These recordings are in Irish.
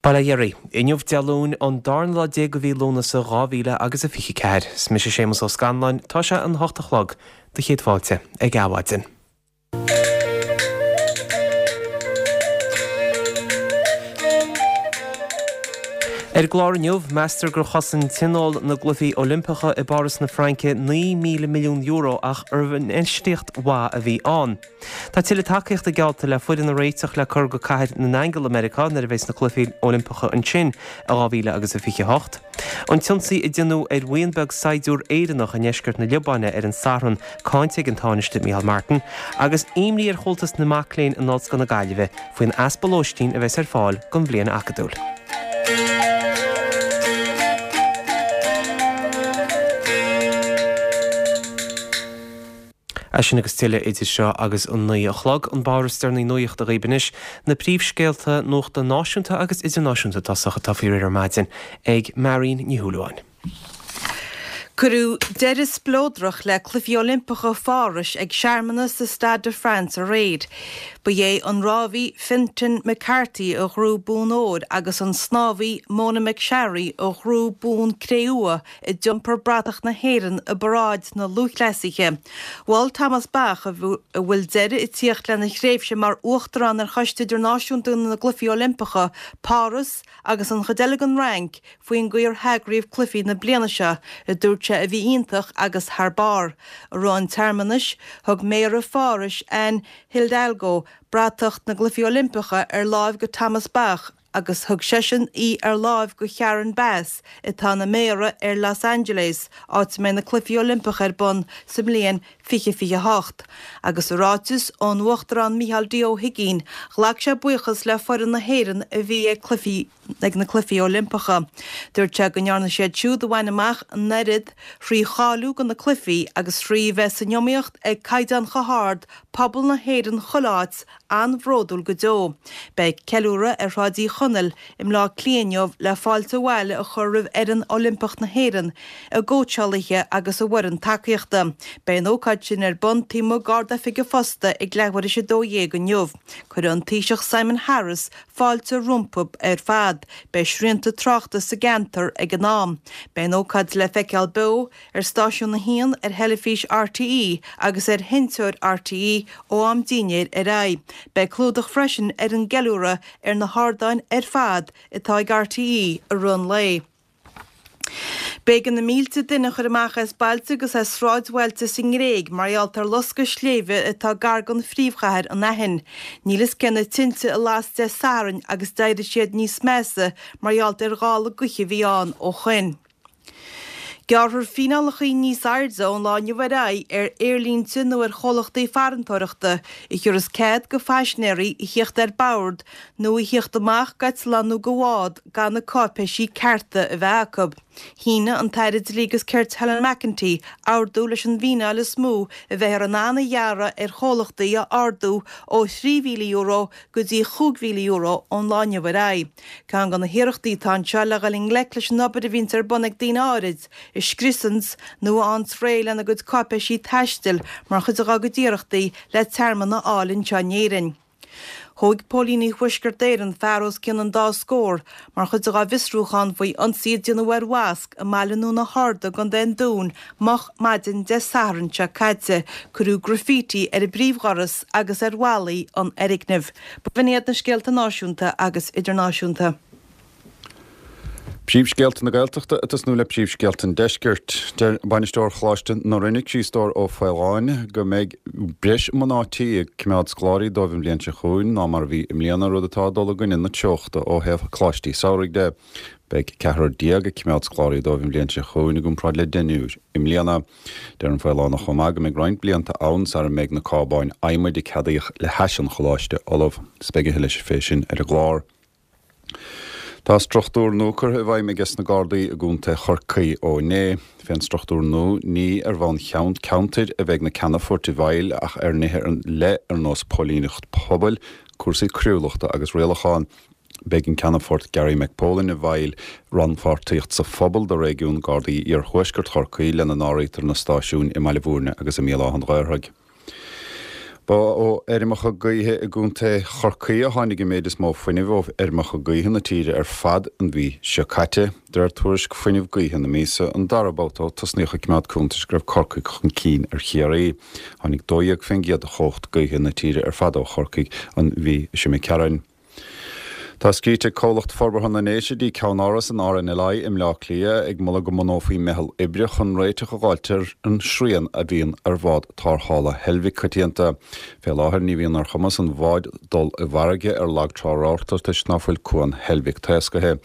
Bail ó Dhia oraibh. Inniu Dé Luain, an darna lá de mhí Lúnasa 2000 agus a 24. Is mise Séamus Ó Scanláin, tá sé an hocht a chlog, do chéad fáilte ag Adhmhaidin. Ar an gclár inniu, meastar gur chosain tionól na gCluichí Oilimpeacha i bPáras na Fraince €9,000 milliún ach arbh infheistíocht mhaith a bhí ann? Tá tuilleadh tacaíochta geallta le foireann a réiteach le cur go Cathair na nAingeal i Meiriceá nuair a bheas na Cluichí Oilimpeacha ansin i 2028. An t-ionsaí a déanadh ar bhuíon beag saighdiúr Éireannach i ndeisceart na Liobáine ar an Satharn cáinte ag an Tánaiste Micheál Martin, agus imní ar Chomhaltas na Mac Léinn in Ollscoil na Gaillimhe faoin easpa lóistín a bheas ar fáil don bhliain acadúil. É sin agus tuilleadh idir seo agus an 9 a chlog. An barr is deireanaí nuachta dhaoibh anois, na príomhscéalta nuachta náisiúnta agus idirnáisiúnta i dtosach atá faoi réir ar maidin ag Marion Ní Shúilleabháin. Cuireadh deireadh spleodrach le Cluichí Oilimpeacha Phárais ag searmanas sa Stade de France aréir. Ba é an rámhaí Fintan McCarthy a ghnóthaigh bonn óir agus an snámhaí Mona McSharry a ghnóthaigh bonn cré-umha a d'iompar bratach na hÉireann i bparáid na lúthchleasaithe. Mhol Thomas Bach, a bhfuil deireadh ag tíocht lena thréimhse mar Uachtarán ar Choiste Idirnáisiúnta na gCluichí Oilimpeacha, Páras agus an chuid eile den Fhrainc faoin gcaoi ar heagraíodh cluichí na bliana seo, a dúirt sé a bhí iontach agus thar barr. I rith an tsearmanais, thug Méara Phárais, Anne Hidalgo, bratach na gCluichí Oilimpeacha ar láimh go Thomas Bach, agus thug seisean í ar láimh go Sharon Bass, atá ina Méara ar Los Angeles, áit a mbeidh na Cluichí Oilimpeacha ar bun sa mbliain 2028. Agus i ráiteas ón Uachtarán Micheál D. Ó hUigínn, ghlac sé buíochas le foireann na hÉireann a bhí ag cluichí ag na Cluichí Oilimpeacha. Dúirt sé go ndearna siad siúd a bhain amach an oiread thrí cháiliú do na cluichí agus thrí bheith san iomaíocht ag caighdeán chomh hard pobal na hÉireann chuile áit an-bhródúil go deo. Beidh ceiliúradh ar Shráid Uí Chonaill i mBleá Cliath inniu le fáilte abhaile a chur roimh fhoireann Oilimpeach na hÉireann, a gcóitseálaithe agus a bhfoireann tacaíochta. Beidh an ócáid sin ar bun taobh amuigh d'Ard-Oifig an Phosta ag leathuair théis 12 inniu. Cuirfidh an Taoiseach Simon Harris fáilte rompu ar fad. Beidh srianta tráchta sa gceantar ag an am. Beidh an ócáid le feiceáil beo ar Stáisiún 1 ar theilifís RTÉ agus ar sheinnteoir RTÉ ó am dinnéir ar aghaidh. Beidh clúdach freisin ar an gceiliúradh ar na hardáin ar fad atá ag RTÉ i rith an lae. B'éigean na mílte duine a chur amach as bailte agus as sráidbhailte sa nGréig mar gheall ar loscadh sléibhe atá gar don phríomhchathair, an Aithin. Níl fhios cé na tinte a las Dé Sathairn agus d'éirigh siad níos measa mar gheall ar ghála gaoithe a bhí ann ó shoin. Gearrfar fíneálacha níos airde ón lá inniu ar aghaidh ar aerlínte nó ar chomhlachtaí farantóireachta a thiúrfas cead go phaisinéirí a thíocht ar bord nó a thíocht amach d'eitleán nó de bhád gan na cáipéisí cearta a bheith acu. Shínigh an tAire Dlí agus Cirt Helen McEntee ordú leis an bhfíneáil is mó a bheifear in ann a ghearradh ar chomhlachtaí a ardú ó €3,000 go dtí €5,000 ón lá inniu ar aghaidh. Ceann de na hiarrachtaí atá anseo le dhul i ngleic leis an obair a bhíonns ar bun ag daoine áirid a scriosanns nó a fhaigheanns réidh lena gcuid cáipéisí taistil mar chuid dá gcuid iarrachtaí le tearmann a fháil anseo in Éirinn. Thóig póilíní Thuaisceart Éireann fear os cionn an dá scór mar chuid dá bhfiosrúchán faoi ionsaí a déanadh ar mhosc i mbaile i nDún na hArda i gContae an Dúin moch maidin Dé Sathairn seo caite. Cuireadh graffiti ar an bpríomhdhoras agus ar bhallaí an fhoirgnimh. B'in iad na scéalta náisiúnta agus idirnáisiúnta. Príomhscéalta na Gaeltachta ag tosnú le príomhscéalta an Deiscirt. Deir Bainisteoir Choláiste na Rinne, Críostóir Ó Faoláin, go mbeidh breis mná tí ag coimeád scoláirí dóibh an bhliain seo chugainn ná mar a bhí i mbliana, rud atá ag dul i gcoinne na treochta ó thaobh coláistí samhraidh de. Beidh ceathrar déag ag coimeád scoláirí dóibh an bhliain seo chugainn i gcomparáid le deichniúr i mbliana. Deir an Faolánach chomh maith go mbeidh roinnt blianta ann sara mbeidh na cábáin adhmaid a ceadaíodh le hais an choláiste ullamh. Is beidh a thuilleadh fé sin ar an gclár. Tá struchtúr nua curtha i bhfeidhm aige sna Gardaí i gContae Chorcaí ó inné. Fén struchtúr nua, ní ar bhonn ceantair a bheidh na ceannfoirt i bhfeighil ach ar nithe ar leith ar nós póilíneacht pobail, cúrsaí coiriúlachta agus rialachán. Beidh an Ceannfort Gary McPolin i bhfeighil rannpháirtíocht sa phobal do réigiún Gardaí Iarthuaisceart Chorcaí lena n-áirítear na stáisiúin i mBaile Bhúirne agus i mBéal Átha an Ghaorthaidh. Ba ó fheirmeacha gaoithe i gContae Chorcaí a tháinig an méid is mó fuinnimh ó fheirmeacha gaoithe na tíre ar fad an mhí seo caite, de réir tuairisc Fuinneamh Gaoithe na míosa, an dara babhta ó tosnaíodh ag coimeád cuntais go raibh Corcaigh chun cinn ar Chiarraí. Tháinig 12% de chumhacht gaoithe na tíre ar fad ó Chorcaigh an mhí seo imigh tharainn. Tá scríte ag Comhlacht Forbartha na nDéise dtí ceannáras an RNLI i mBleá Cliath ag moladh go mbunófaí meitheal oibre chun réiteach a dh'fháilt ar an srian a bhíonn ar bhád tárrthála Heilbhic coitianta. Fé láthair ní bhíonn ar chumas an bháid dul i bhfarraige ar lag trá rabharta toisc ná fuil cuan Heilbhic taoscaithe.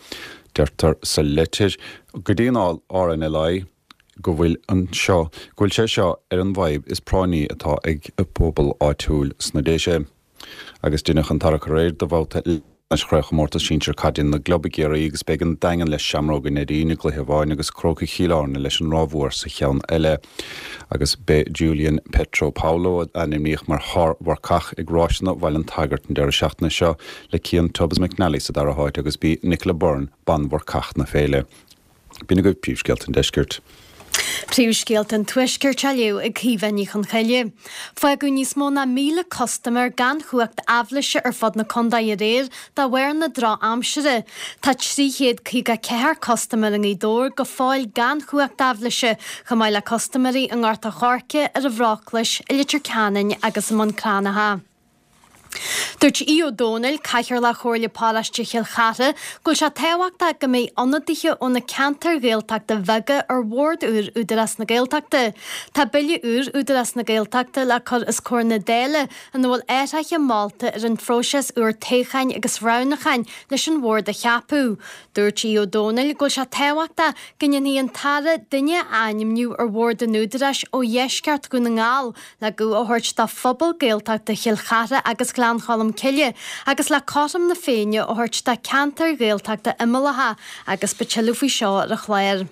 Deirtear sa leitir go dtí an RNLI go bhfuil an seo go bhfuil sé seo ar an bhfadhb is práinní atá ag an bpobal áitiúil sna Déise. Agus deineadh an tarrac aréir do bhabhta leathcheannais Chraobhchomórtas Sinsir Caide na gClub i gCiarraí agus beidh an Daingean le Seamróga Neidín i gcluiche amháin agus Crócaigh Chill Airne leis an Ráth Mhór sa cheann eile. Agus b'é Julian Pietropaolo a ainmníodh mar shár-mharcach ag Ráiseanna Bhaile an tSagairt an deireadh seachtaine seo le Cian Tubbs McNally sa dara háit agus b'í Nicola Byrne banmharcach na féile. B'in agaibh príomhscéalta an deiscirt. Príomhscéalta an Tuaiscirt á léamh ag Caoimhe Ní Chonchoille. Fágadh níos mó ná 1,000 custaiméir gan chumhacht aibhléise ar fud na contae aréir de bharr na drochaimsire. Tá 354 custaiméir i nGaoth Dobhair go fóill gan chumhacht aibhléise, chomh maith le custaiméirí i nGort a' Choirce, ar an Bhróclais, i Leitir Ceanainn agus i mBun Cranncha. Dúirt Aodh Ó Domhnaill, Cathaoirleach Chomhairle Paróiste Chill Chartha, go bhfuil sé tábhachtach go mbeidh ionadaithe ó na ceantair Ghaeltachta bheaga ar bhord úr Údarás na Gaeltachta. Tá bille úr Údarás na Gaeltachta le cur os comhair na Dála ina bhfuil athruithe molta ar an phróiseas úr toghcháin agus roghnúcháin leis an bhord a cheapadh. Dúirt Aodh Ó Domhnaill go bhfuil sé tábhachtach go ndéanfaidh an tAire duine a ainmniú ar bhord an Údaráis ó dheisceart Dhún na nGall le guth a thabhairt do phobal Gaeltachta Chill Chartha agus Ghleann Cholm Cille agus le cothrom na Féinne a thabhairt do cheantair Ghaeltachta imeallacha agus beidh tuilleadh faoi seo ar an chlár.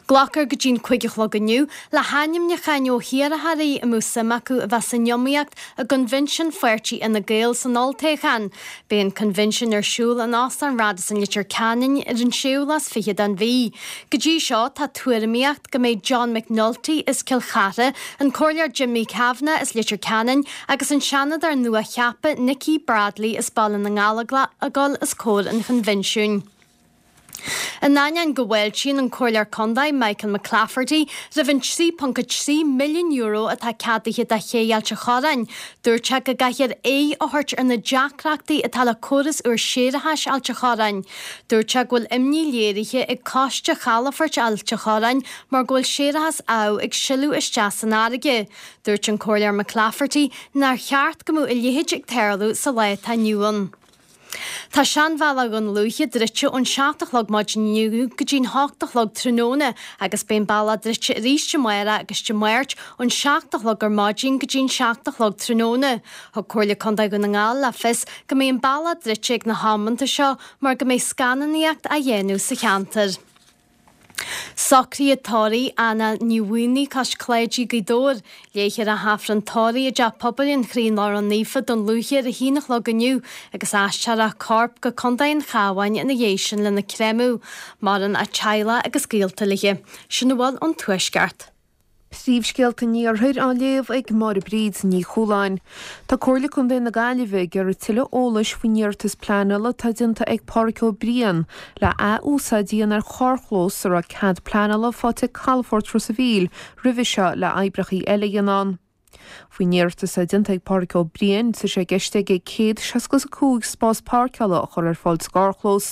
Glacfar go dtí'n 5 a chlog inniu le hainmniúcháin ó hiarrthóirí a mbeadh suim acu a bheith san iomaíocht i gCoinbhinsean Pháirtí Fhine Gael san olltoghchán. Beidh an coinbhinsean ar siúl in Óstán Radisson Leitir Ceanainn ar an séú lá is fichead den mhí. Go dtí seo tá tuairimíocht go mbeidh John McNulty as Cill Chartha, an Comhairleoir Jimmy Kavanagh as Leitir Ceanainn agus an Seanadóir nua-cheaptha Nikki Bradley as Baile na nGallóglach ag dul os comhair an choinbhinsiúin. In ainneoin go bhfáiltíonn an Comhairleoir Contae Michael McClafferty roimh an €3.3 milliún atá ceadaithe do Ché Ailt an Chorráin, dúirt sé go gcaithfear aghaidh a thabhairt ar na deacrachtaí atá le córas úr séarachais Ailt an Chorráin. Dúirt sé go bhfuil imní léirithe ag Coiste Chalafoirt Ailt an Chorráin mar go bhfuil séarachas amh ag sileadh isteach san fharraige. Dúirt an Comhairleoir McClafferty nár cheart go mbeadh a leithéid ag tarlú sa lá atá inniu ann. Tá Seanbhealach Dhún Lúiche druidte ón 7 a chlog maidin inniu go dtí'n 8 a chlog tráthnóna agus beidh an bealach druidte arís amárach agus Dé Máirt ón 7 a chlog ar maidin go dtí'n 7 a chlog tráthnóna. Thug Comhairle Contae Dhún na nGall le fios go mbeidh an bealach druidte ag na hamanta seo mar go mbeidh scannánaíocht á dhéanamh sa cheantar. Socruithe tórraimh Anna Ní Mhaonaigh cois Cláidí, Gaoth Dobhair. Léifear an tAifreann tórraimh i dTeach Pobail an Chroí Lárnach Naofa, Dún Lúiche ar a haon a chlog inniu agus aistreofar a corp go Contae an Chabháin ina dhiaidh sin lena créamadh. Maireann a teaghlach agus gaolta léi. Sin a bhfuil ón Tuaisceart. Príomhscéalta an Iarthair á léamh ag Máire Bríd Ní Chualáin. Tá Comhairle Contae na Gaillimhe ag iarraidh tuilleadh eolais faoin iarratas pleanála atá déanta ag Páraic Ó Briain le ath-úsáid a dhéanamh ar charrchlós a raibh cead pleanála faighte ag Calafort Ros a' Mhíl roimhe seo le oibreacha eile a dhéanamh ann. Faoin iarratas atá déanta ag Páraic Ó Briain, tá sé i gceist aige 165 spás páirceála a chur ar fáil sa gcarrchlós.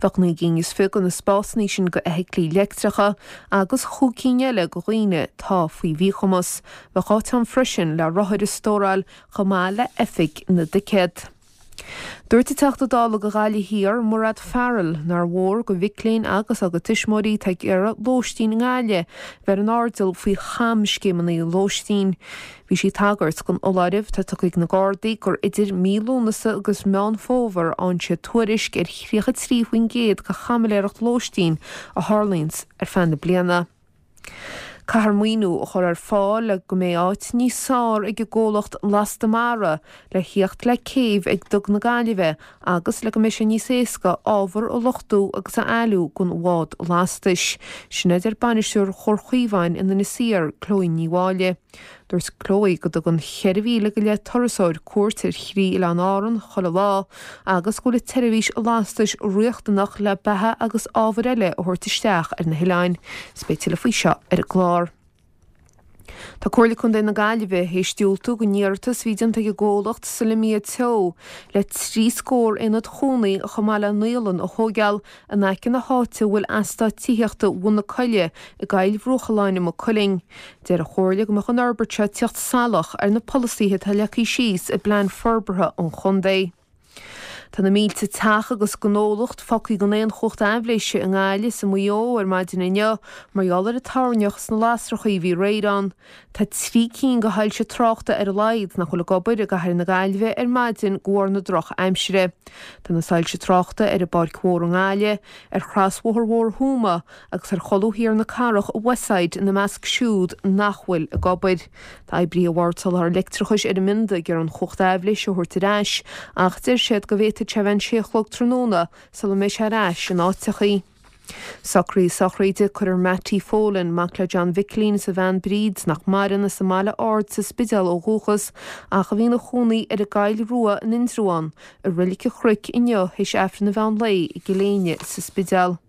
Bheadh 29 gcinn de na spásanna sin go fheithiclí leictreacha agus chúig cinn eile go dhaoine atá faoi mhíchumas. Bheadh áit ann freisin le rothair a stóráil chomh maith le oifig na dticéad. Dúirt an Teachta Dála do Ghaillimh Thiar, Mairéad Farrell, nár mhór go mhic léinn agus dá gcuid tuismitheoirí atá ag iarraidh lóistín i nGaillimh bheith ar an airdeall faoi chamscéimeanna lóistín. Bhí sí ag tagairt don fholáireamh atá tugtha ag na Gardaí gur idir mí Lúnasa agus Meán Fómhair a fhaigheann siad tuairisc ar 33% de chaimiléireacht lóistín a tharlaíonns ar feadh na bliana. Caithfear maoiniú a chur ar fáil le go mbeidh áit níos fearr ag an gcomhlacht Lasta Mara le thíocht le céibh ag Duga na Gaillimhe agus le go mbeidh sé níos éasca ábhar a luchtú agus a éilliú don bhád lastais. Sin a deir bainisteoir Chomhar Chaomháin in Inis Oírr, Chloe Ní Mháille. Dúirt Chloe go dtugann 4,000 go leith turasóir cuairt ar thrí oileán Árann chuile lá agus go bhfuil an tseirbhís lastais riachtanach le beatha agus ábhair eile a thabhairt isteach ar na hoileáin. Is beidh tuilleadh faoi seo ar an gclár. Tá Comhairle Contae na Gaillimhe théis diúltú don iarratas a bhí déanta ag an gcomhlacht Solemia Teo le 3 scór aonad chónaí chomh maith le naíolann a thóigeáil in aice na háite a bhfuil eastát tithíochta Bhun na Coille i gCoill Bhruachalláin i Maigh Cuilinn. Deir an Chomhairle go mbeadh an fhorbairt seo ag teacht salach ar na polasaithe atá leagtha síos i bPlean Forbartha an Chontae. Tá na mílte teach agus gnólacht fágtha gan aon chumhacht aibhléise i nGaillimh is i Maigh Eo ar maidin inniu mar gheall ar an toirneach is na lasrachaí a bhí aréir ann. Tá 3 cinn de shoilse tráchta ar a laghad nach bhfuil ag obair i gcathair na Gaillimhe ar maidin de bharr na droch-aimsire. Tá na soilse tráchta ar an bPáirc Mhór i nGaillimh, ar chrosbhóthar Mhór Thuama agus ar cholbha thiar na cathrach i Westside ina measc siúd nach bhfuil ag obair. Tá oibrithe Bhord Soláthair Leictreachais ar an mbionda ag iarraidh an chumhacht aibhléise a thabhairt ar ais ach deir siad go bhféadfadh sé a bheith an sé a chlog tráthnóna sula mbeidh sé ar ais in áiteachaí. Socruithe sochraide, Cuirfear Mattie Folan, mac le John Mhicilín is a bhean Bríd, nach maireann, as an mBaile Ard sa Spidéal ó dhúchas, ach a bhí ina chónaí ar an gCoill Rua in Indreabhán, i Reilig an Chnoic inniu théis Aifreann an mheán lae i gCill Éinne sa Spidéal.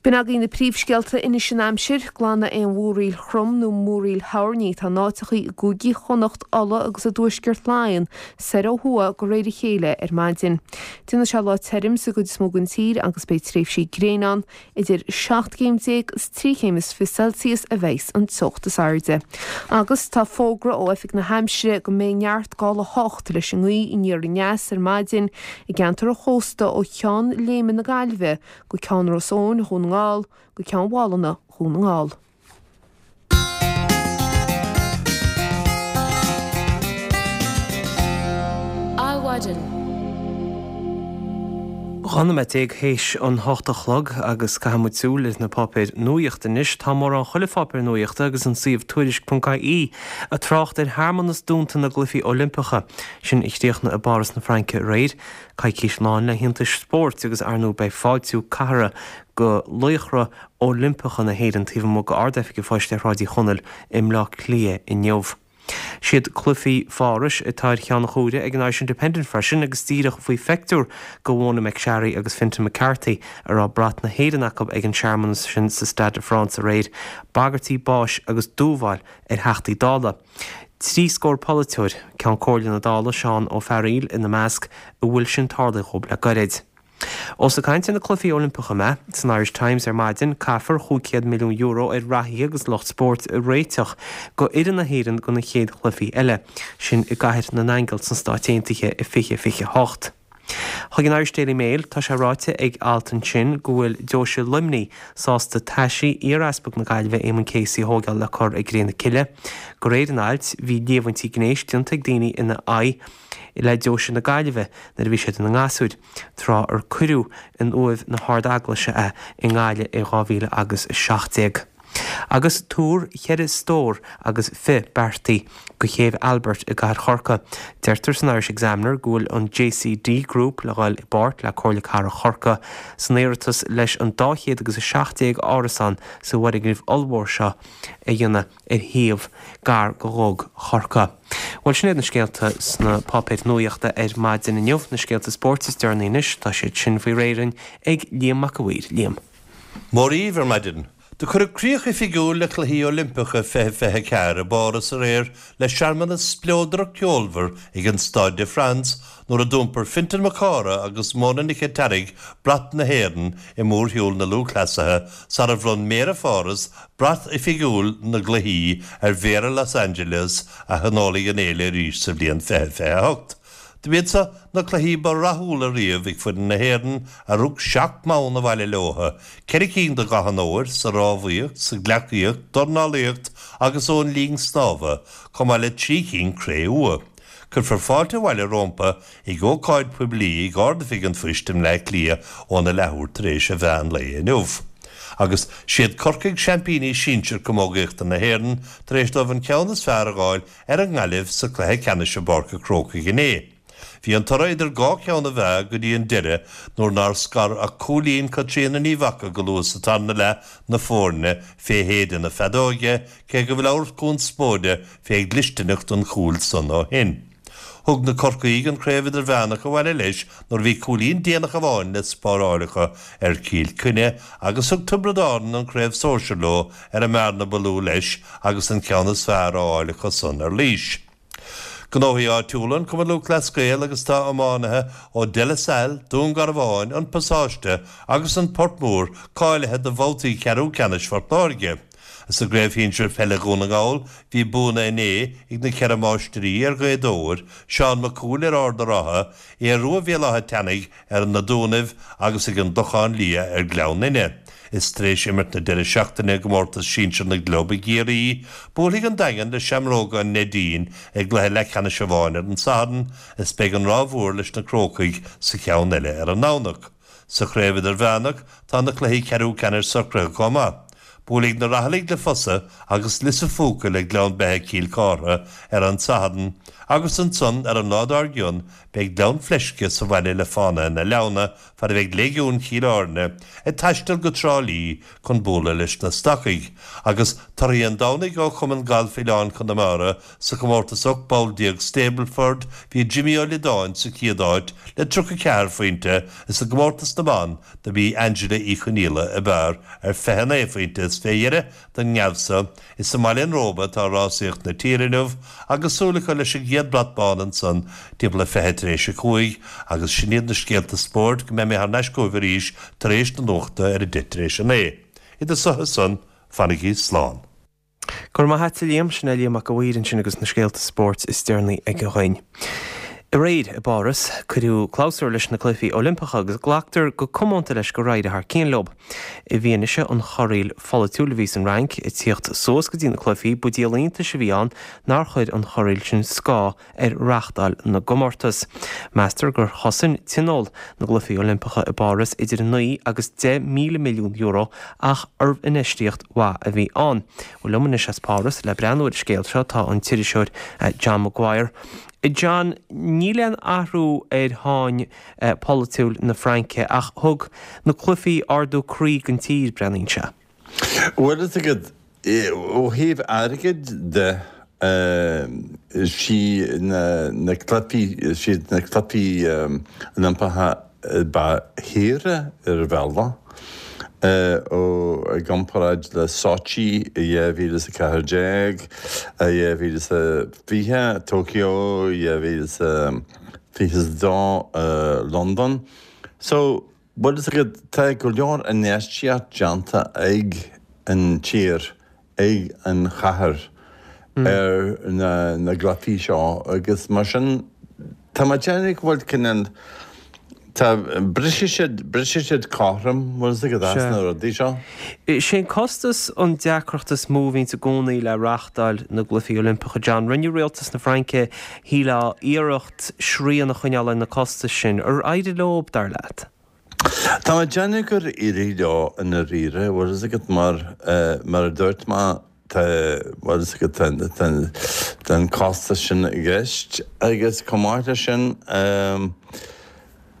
B'in agaibh na príomhscéalta anois an aimsir, glanadh aon mhúraíl throm nó múraíl thoirní atá in áiteachaí i gcúigí Chonnacht, Uladh agus i dtuaisceart Laighean soir ó thuaidh de réir a chéile ar maidin. Déanfaidh sé lá tirim sa gcuid is mó den tír agus beidh tréimhsí gréine ann. Idir 17 céim is 23 chéim Celsius a bheidhs an teocht is airde. Agus tá fógra ó Oifig na hAimsire go mbeidh neart gála 8 leis an ngaoth aniar aneas ar maidin i gceantar an chósta ó Cheann Léime na Gaillimhe go Ceann Ros Eoin, Dhún na nGall, go Ceann Mhálanna, Dhún na nGall. Adhmhaidin. 12 nóiméad théis an hocht a chlog agus caithfidh muid súil ar na páipéir nuaíochta anois. Tá mórán chuile pháipéar nuaíochta agus an suíomh Tuairisc.ie ag trácht ar shearmanas dúnta na gCluichí Oilimpeacha, sin a chríochnaigh i bPáras na Fraince aréir. Coicís lán le hiontais spóirt agus ar ndóigh beidh fáiltiú cathartha go laochra Oilimpeacha na hÉireann taobh amuigh d'Ard-Oifig an Phoist ar Shráid Uí Chonaill i mBleá Cliath inniu. Siad Cluichí Phárais atá ar cheann an chomhairimh ag an Irish Independent freisin agus díreach faoi phictiúr go Mhona McSharry agus Fintan McCarthy a raibh brat na hÉireann acu ag an searmanas sin sa Stade de France aréir, bagairtí báis agus dúmhail ar Theachtaí Dála. 30 polaiteoir, Ceann Comhairle na Dála, Seán Ó Fearghaíl ina measc, a bhfuil sin tarlaithe dhóibh le gairid. Ós ag caint ar na Cluichí Oilimpeacha mé, san Irish Times ar maidin, caithfear €500 milliún ar reathaithe agus lucht spóirt a réiteach go fhoireann na hÉireann go na chéad chluichí eile, sin i gCathair na nAingeal sna Stáit Aontaithe i 2028. Chuig an Irish Daily Mail, tá sé ráite ag alt ansin go bhfuil Deoise Luimnigh sásta taisí iar-Easpag na Gaillimhe Éamonn Casey a thóigeáil le cur i gcré na cille. De réir an ailt, bhí líomhaintí gnéis déanta ag daoine ina aghaidh le Deoise na Gaillimhe nuair a bhí siad ina ngasúir, tráth ar cuireadh in uaimh na hArd-Eaglaise é i nGaillimh i 2017. Agus túr cheithre stór agus fi beartaithe go Chéibh Albert i gcathair Chorcaí. Deirtear san Irish Examiner go bhfuil an JCD Group le dhul i bpáirt le Comhairle Cathrach Chorcaí san iarratas leis an 217 árasán sa bhfoirgneamh ollmhór seo a dhéanamh ar shuíomh gar go Dhug Chorcaí. Bhuel, sin iad na scéalta sna páipéir nuaíochta ar maidin inniu. Na scéalta spóirt is deireanaí anois, tá siad sin faoi réir ag Liam Mac a' Mhaoir. Liam. Mora dhaoibh ar maidin. Do cuireadh críoch oifigiúil le Cluichí Oilimpeacha 2024 i bPáras aréir le searmanas spleodrach ceolmhar ag an Stade de France nuair a d'iompair Fintan Mac Cártha agus Mona Nic an tEarraigh brat na hÉireann i mórshiúl na lúthchleasaithe sara bhronn Méara Pháras brat oifigiúil na gCluichí ar Mhéara Los Angeles a thionólfaidh an fhéile arís sa bhliain 2028. Do b'iad seo na cluichí ba rathúla riamh ag foireann na hÉireann a rug 7 mbonn abhaile leotha, ceithre cinn de gach an óir, sa rámhaíocht, sa ghleacaíocht, dornálaíocht agus ón linn snámha, chomh maith le 3 cinn cré-umha. Cuirfear fáilte abhaile rómpa ag ócáid poiblí ag Ard-Oifig an Phoist i mBleá Cliath óna leathuair tar éis a mheán lae inniu. Agus siad Corcaigh seaimpíní sinsir camógaíochta na hÉireann tar éis dóibh an ceann is fearr a dh'fháil ar an nGaillimh sa chluiche ceannais i bPáirc a' Chrócaigh inné. Bhí an toradh idir dhá cheann a mheá go dtí an deireadh nuair nár scar ach cúilín Caitríona Ní Mhaca go luath sa tarna leath na foirne fé shéideadh na feadóige, cé go bhfuil ábhar conspóide fé dhlisteanacht an chúil san ó shin. Thug na Corcaígh an Craobh Idirmheánach abhaile leis nuair a bhí cúilín déanach amháin le spáráil acu ar Chill Chainnigh agus thug Tiobraid Árann an Craobh Sóisir leo ar an mbearna ba lú leis agus an ceann is fearr á fháil acu san ar Laois. Gnóthaí áitiúla, An Cumann Lúthchleas Gael agus tá iománaithe ó De La Salle, Dún Garbháin, An Pasáiste agus An Port Mór cáilithe do bhabhtaí ceathrú ceannais Phort Láirge. Sa gCraobh Shinsir Peile Dhún na nGall bhí buanna inné ag na Ceithre Máistrí ar Ghaoth Dobhair, Seán Mac Cumhaill ar Ard a' Rátha, Aodh Rua Bhéal Átha Teannaigh ar na Dúnaibh agus ag an gClochán Liath ar Gleann Fhinne. Is tar éis imirt na deireadh seachtaine i gcomórtas sinsir na gclub i gCiarraí, buailfidh an Daingean le Seamróga an Neidín i gcluiche leathcheannais amháin ar an Satharn is beidh an Ráth Mhór leis na Crócaigh sa cheann eile ar an nDomhnach. Sa chraobh idirmheánach, tá na cluichí ceathrú ceannais socraithe chomh maith. Buailfidh na Raghallaigh le Fosa agus Lios a' Phúca le Gleann Beithe Cill Chártha ar an Satharn agus ansan ar an lá dár gcionn beidh Gleann Fleisce sa bhaile le Fánaithe na Leamhna fad a bheidh Léigiún Chill Airne ag taisteal go Trá Lí chun bualadh leis na Stacaigh. Agus torthaí an Domhnaigh ó Chumann Gailf Oileáin Chonamara Sa chomórtas 18 bpoll Stableford, bhí Jimmy Ó Liodáin sa chéad áit le 34 phointe is i gcomórtas na mban do bhí Angela Uí Chonaola ab fhearr ar 29 phointe is fé dheireadh don ngeábh so is i mBaile an Róba atá rásaíocht na tíre inniu agus súil acu leis an gcéad brat bán ansan timpeall le 20 tar éis a 5 agus sin iad na scéalta spóirt go mbeidh mé thar n-ais chugaibh arís tar éis na nuachta ar a 10 tar éis a 9. Idir so is san, fanaigí slán. Go raibh maith a't a Liam, sin é Liam Mac a' Mhaoir ansin agus na scéalta spóirt is deireanaí aige dhuinn. Aréir i bPáras, cuireadh clabhsúr leis na Cluichí Oilimpeacha agus glactar go comónta leis gur éirigh thar cionn leo. I bhfianaise an chorraíl pholaitiúil a bhí san Fhrainc ag tíocht suas go dtí na cluichí, ba díol iontais a bhí ann nár chuir an chorraíl sin scáth ar reáchtáil na gcomórtas. Meastar gur chosain tionól na gCluichí Oilimpeacha i bPáras idir 9 agus 10,000 milliún euro ach arbh infheistíocht mhaith a bhí ann. Bhuel liom anois as Páras le breathnú ar an scéal seo tá an t-iriseoir John Maguire. John, níl aon athrú ar sháinn pholaitiúil na Fraince ach thug na cluichí ardú croí don tír, breathnaíonn sé. Bhuel, is agat, ó thaobh airgid de, sí na cluichí, siad na cluichí Oilimpeacha ba shaoire ar bhealach, ó i gcomparáid le Sochi i 2014, 2020, Tokyo 2022, Londain. So, Bhuel, is agat, tá go leor infheistíocht déanta ag an tír, ag an chathair ar na gcluichí seo agus mar sin tá mé ag déanamh go bhfuil cineál, tá, brisfidh siad, brisfidh siad cothrom, bhfuil fhios agat, as na rudaí seo. Is é an costas an deacracht is mó a bhíonns i gcónaí le reáchtáil na gCluichí Oilimpeacha, John. Rinne rialtas na Fraince, shílfeá, iarracht, srian a choinneáil ar na costais sin. Ar éirigh leo, dar leat? Tá mé ag déanamh gur éirigh leo i ndáiríre, bhfuil fhios agat, mar, mar a dúirt mé, tá, bhfuil fhios agat, tá, tá, tá an costas sin i gceist agus chomh maith leis sin,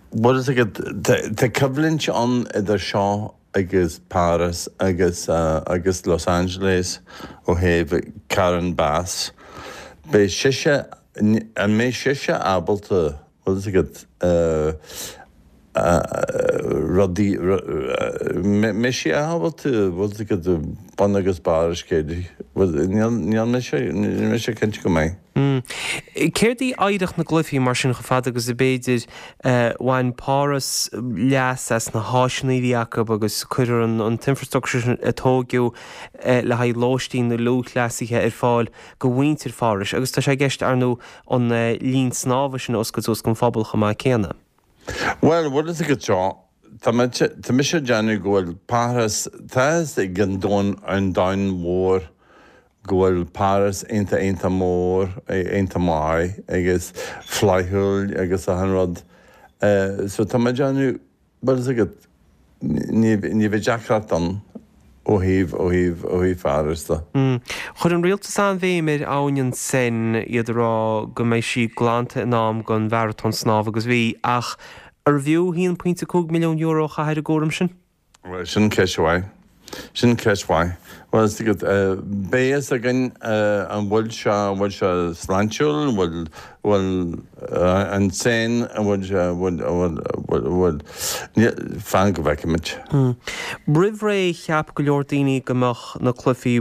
bhfuil fhios agat, tá, tá coimhlint ann idir seo agus Páras agus agus Los Angeles ó thaobh Karen Bass. Beidh sise, an mbeidh sise ábalta, bhfuil fhios agat, rudaí, mbeidh sí ábalta, bhfuil fhios agat, bun agus barr an scéil, níl, níl mise, níl mise cinnte go mbeidh. Céard í oidhreacht na gcluichí mar sin chomh fada agus ab fhéidir? Bhain Páras leas as na háiseanna a bhí acu agus cuireadh an t-infrastructure sin a tóigeadh le haghaidh lóistín na lúthchleasaithe ar fáil go mhuintir Phárais agus tá sé i gceist ar ndóigh an linn snámha sin a oscailt suas don phobal chomh maith céanna. Bhuel, bhfuil fhios agat seo, tá tá mise ag déanamh go bhfuil Páras, tá fhios ag an domhan, an domhan mhór go bhfuil Páras iontach iontach mór, iontach maith agus flaithiúil agus achan rud. So tá mé ag déanamh, bhfuil fhios agat, ní, ní bheidh deacracht ann. Ó thaobh, ó thaobh, ó thaobh Pháras de. Chuir an rialtas an-bhéim ar abhainn an Seine, iad ag rá go mbeidh sí glanta in am don mharatón snámha agus bhí, ach arbh fhiú €1.5 milliún a chaitheamh ar an gcúram sin? Bhuel, sin ceist mhaith. Sin ceist mhaith. Bhuel, is agat, beidh fhios againn an bhfuil sé, an bhfuil sé sláintiúil, an bhfuil, bhfuil an Seine, an bhfuil sé, an bhfuil, an bhfuil, an bhfuil, fan go bhfeicfimid. Roimh ré cheap go leor daoine go mbeadh na cluichí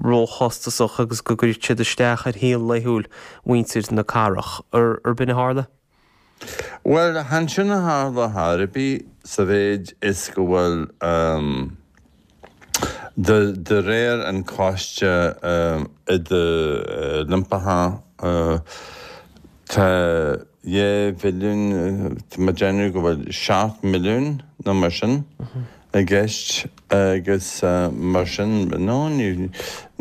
róchostasach agus go gcuirfeadh siad isteach ar shaol laethúil mhuintir na cathrach. Ar b'in a tharla? Bhuel, chan sin a tharla chor ar bith sa mhéid is go bhfuil, de réir an Coiste Idir-Oilimpeach, tá 2 bhilliún, tá mé ag déanamh go bhfuil 7 milliún nó mar sin i gceist agus mar sin, no, níl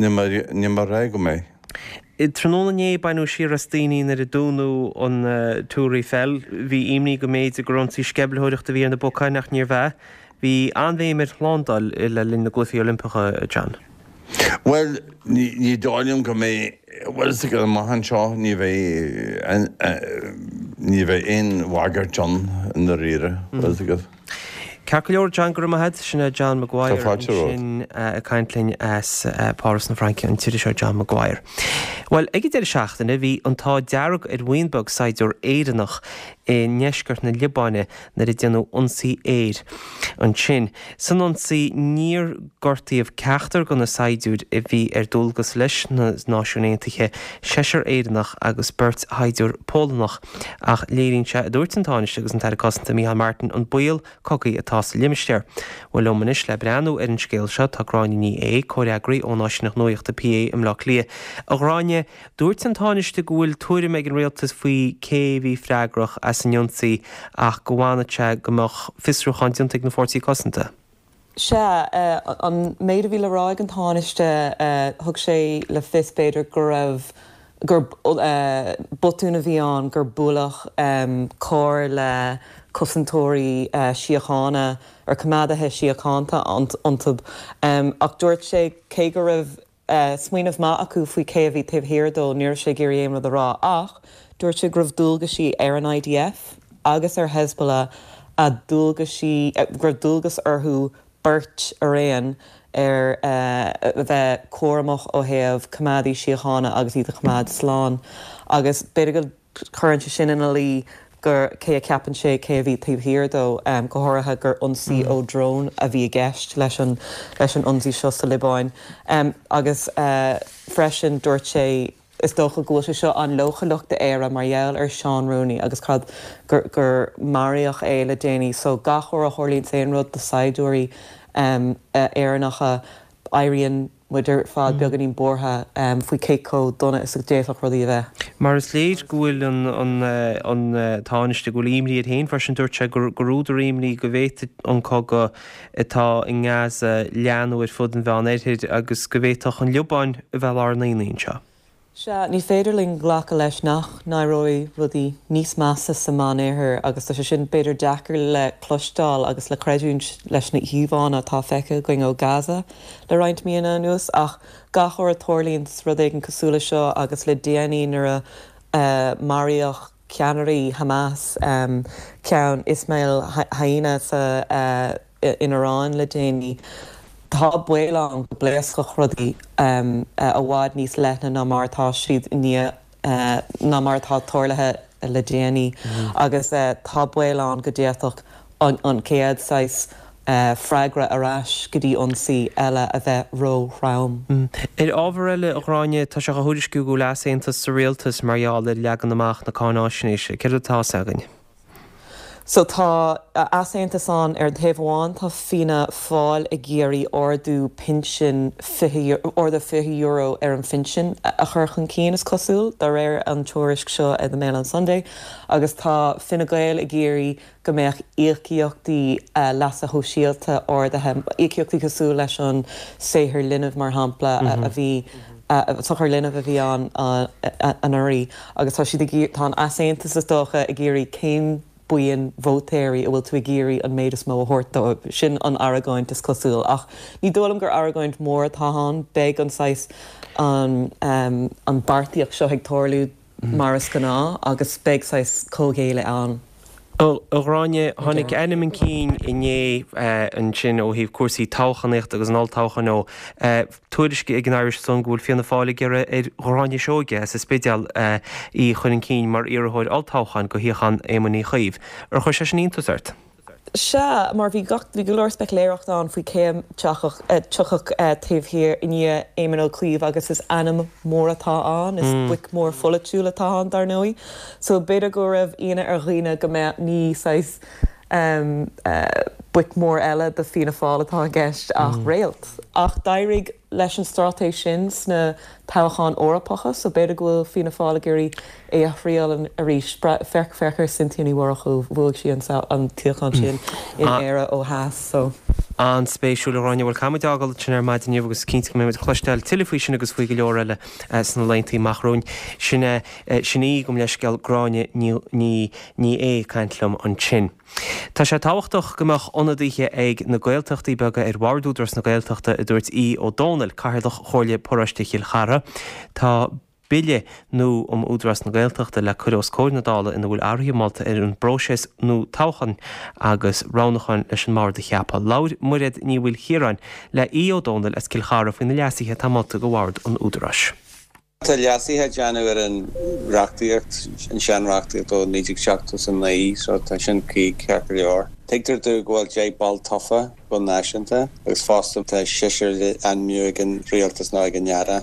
mé ag rá go mbeidh. Tráthnóna inné baineadh siar as daoine nuair a dúnadh an Tour Eiffel. Bhí imní go mb'fhéidir gur ionsaí sceimhlitheoireachta a bhí ar na bacáin ach níorbh ea. Bhí an-bhéim ar shlándáil le linn na gCluichí Oilimpeacha, John. Bhuel, ní dóigh liom go mbeidh, bhuel, is ag amach anseo ní bheidh, ní bheidh aon bhagairt ann i ndáiríre, bhfuil fhios agat. Ceart go leor, John, go raibh maith agat. Sin é John Maguire Tá fáilte romhat. ansin ag caint linn as Páras na Fraince, an t-iriseoir John Maguire. Bhuel, ag an deireadh seachtaine bhí an t-ádh dearg ar bhuíon beag saighdiúir Éireannach i ndeisceart na Liobáine nuair a déanadh ionsaí aeir ansin. San ionsaí níor gortaíodh ceachtar de na saighdiúir a bhí ar dualgas leis na Náisiúin Aontaithe, seisear Éireannach agus beirt shaighdiúir Pholannach, ach léiríonn sé, a dúirt an Tánaiste agus an tAire Cosanta Micheál Martin, an baol cogaidh atá sa limistéar. Bhuel, liom anois le breathnú ar an scéal seo tá Gráinne Ní Aodha, comhfhreagraí ón áisíneacht nuachta PA i mBleá Cliath. A Ghráinne, Dúirt an Tánaiste go bhfuil tuairim ag an rialtas faoi cé a bhí freagrach as an ionsaí ach go bhfanfadh sé go mbeadh fiosrúchán déanta ag na Fórsaí Cosanta. Sea, an méid a bhí le rá ag an Tánaiste, thug sé le fios b'fhéidir go raibh, gur botún a bhí ann, gur buaileadh carr le cosantóirí síochána, ar coimeádaithe síochánta iontu. Ach dúirt sé cé go raibh smaoineamh maith acu faoi cé a bhí taobh thiar dó, ní raibh sé ag iarraidh aon rud a rá ach dúirt sé go raibh dualgaisí ar an IDF agus ar Hezbollah a dualgaisí, go raibh dualgas orthu beirt araon ar a bheith cúramach ó thaobh coimeádaí síochána agus iad a choimeád slán agus b'fhéidir go Cuireann sé sin ina luí gur cé a cheapann sé cé a bhí taobh thiar dó, go háirithe gur ionsaí ó drón a bhí i gceist leis an leis an ionsaí seo sa Liobáin. Agus freisin dúirt sé, is dócha go bhfuil sé seo an-leochaileach d'Éire mar gheall ar Seán Rooney agus cad gur gur maraíodh é le déanaí. So gach uair a tharlaíonn aon rud do saighdiúirí Éireannacha éiríonn muid ar fad beagáinín buartha faoi cé chomh dona is a d'fhéadfadh rudaí a bheith. Mar is léir go bhfuil an Tánaiste, go bhfuil imní air féin freisin. Dúirt sé gur údar imní go bhféadfadh an cogadh atá i nGaza leathnú ar fud an Mheán Oirthir agus go bhféadfadh an Liobáin a bheith lár an aonaigh anseo. Sea, ní féidir linn glacadh leis nach n-éireoidh rudaí níos measa sa Meánoirthear agus tá sé sin b'fhéidir deacair le cloisteáil agus le creidiúint leis na híomhánna atá feicthe againn ó Gaza le roinnt míonna anuas ach gach uair a tarlaíonn rud éigin cosúil le seo agus le déanaí nuair a maraíodh ceannairí Hamas, ceann Ismail Haniyeh sa in Iran le déanaí. Tá baol ann go bpléascfadh rudaí i bhfad níos leithne ná mar atá siad i ndiaidh ná mar atá tarlaithe le déanaí agus tá baol ann go d'fhéadfadh an chéad saghas freagra ar ais go dtí ionsaí eile a bheith ró-throm. Ar ábhar eile, a Ghráinne, tá sé á thuairisciú go bhfuil easaontas sa rialtas mar gheall ar leagan amach na cáináisnéise. Céard atá fhios againn? So tá easaontas ann. Ar an taobh amháin tá Fianna Fáil ag iarraidh ardú pinsin, ardú €20 ar an phinsean a chur chun cinn, is cosúil, de réir an tuairisc seo ar The Mail on Sunday, agus tá Fine Gael ag iarraidh go mbeadh íocaíochtaí leasa shóisialta ardaithe, íocaíochtaí cosúil leis an saothar linbh, mar shampla, a bhí. sochar linbh a bhí ann anuraidh agus tá siad ag, tá an easaontas is dócha ag iarraidh cén. buíon vótóirí a bhfuil tú ag iarraidh an méid is mó a thabhairt dóibh. Sin an argóint is cosúil. Ach ní dóigh liom gur argóint mhór atá ann. Beidh an saghas, an, an beartaíocht seo ag tarlú mar is gnáth agus beidh saghas comhghéilleadh ann. A Ghráinne, tháinig ainm chun cinn inné ansin ó thaobh cúrsaí toghchánaíochta agus an olltoghcháin ó tuairisc ag an Irish Sun go bhfuil Fianna Fáil ag iarraidh ar Ghráinne Seoige as an Spidéal í a chur chun cinn mar iarrthóir olltoghcháin do shuíochán Éamoin Uí Chuív. Ar chuir sé sin iontas ort? Sea, mar bhí gach, bhí go leor speicealéireachta ann faoi cé a tiocfadh, tiocfadh taobh thiar, i ndiaidh Éamon Ó Cuív agus is ainm mór atá ann, is boic mhór pholaitiúil atá ann dar ndóigh. So b'fhéidir go raibh ionadh ar dhaoine go mbeadh, ní saghas boic mhór eile do Fianna Fáil atá i gceist ach réalt. Ach d'éirigh leis an straitéis sin sna toghcháin Eorpacha so b'fhéidir go bhfuil Fianna Fáil ag iarraidh é a thriail arís. Féach féach ar Cynthia Ní Mhurchú, bhuaigh sí an suíochán sin in Éire ó theas so. An-spéisiúil a Ghráinne. Bhuel caithfidh muid fágáil ansin ar maidin inniu agus cinnte go mbeidh muid ag cloisteáil tuilleadh faoi sin agus faoi go leor eile sna laethanta amach romhainn. Sin sin í, gabh mo leithscéal, Gráinne Ní Ní Ní Aodha ag caint liom ansin. Tá sé tábhachtach go mbeadh ionadaithe ag na Gaeltachtaí beaga ar Bhord Údarás na Gaeltachta, a dúirt Aodh Ó Domhnaill, Cathaoirleach Chomhairle Paróiste Chill Chartha. Tá Bille nua um Údarás na Gaeltachta le cur os comhair na Dála ina bhfuil athruithe molta ar an bpróiseas nua toghcháin agus roghnúcháin leis an mbord a cheapadh. Labhair Mairéad Ní Mhaoilchiaráin le Aodh Ó Domhnaill as Cill Chartha faoi na leasuithe atá molta do Bhord an Údaráis. Tá leasuithe á déanamh ar an reachtaíocht, an sean-reachtaíocht ó 1979, so tá sin cuí ceart go leor. Tuigtear domh go bhfuil 10 ball tofa go náisiúnta agus fosta tá seisear le ainmniú ag an rialtas nó ag an Aire.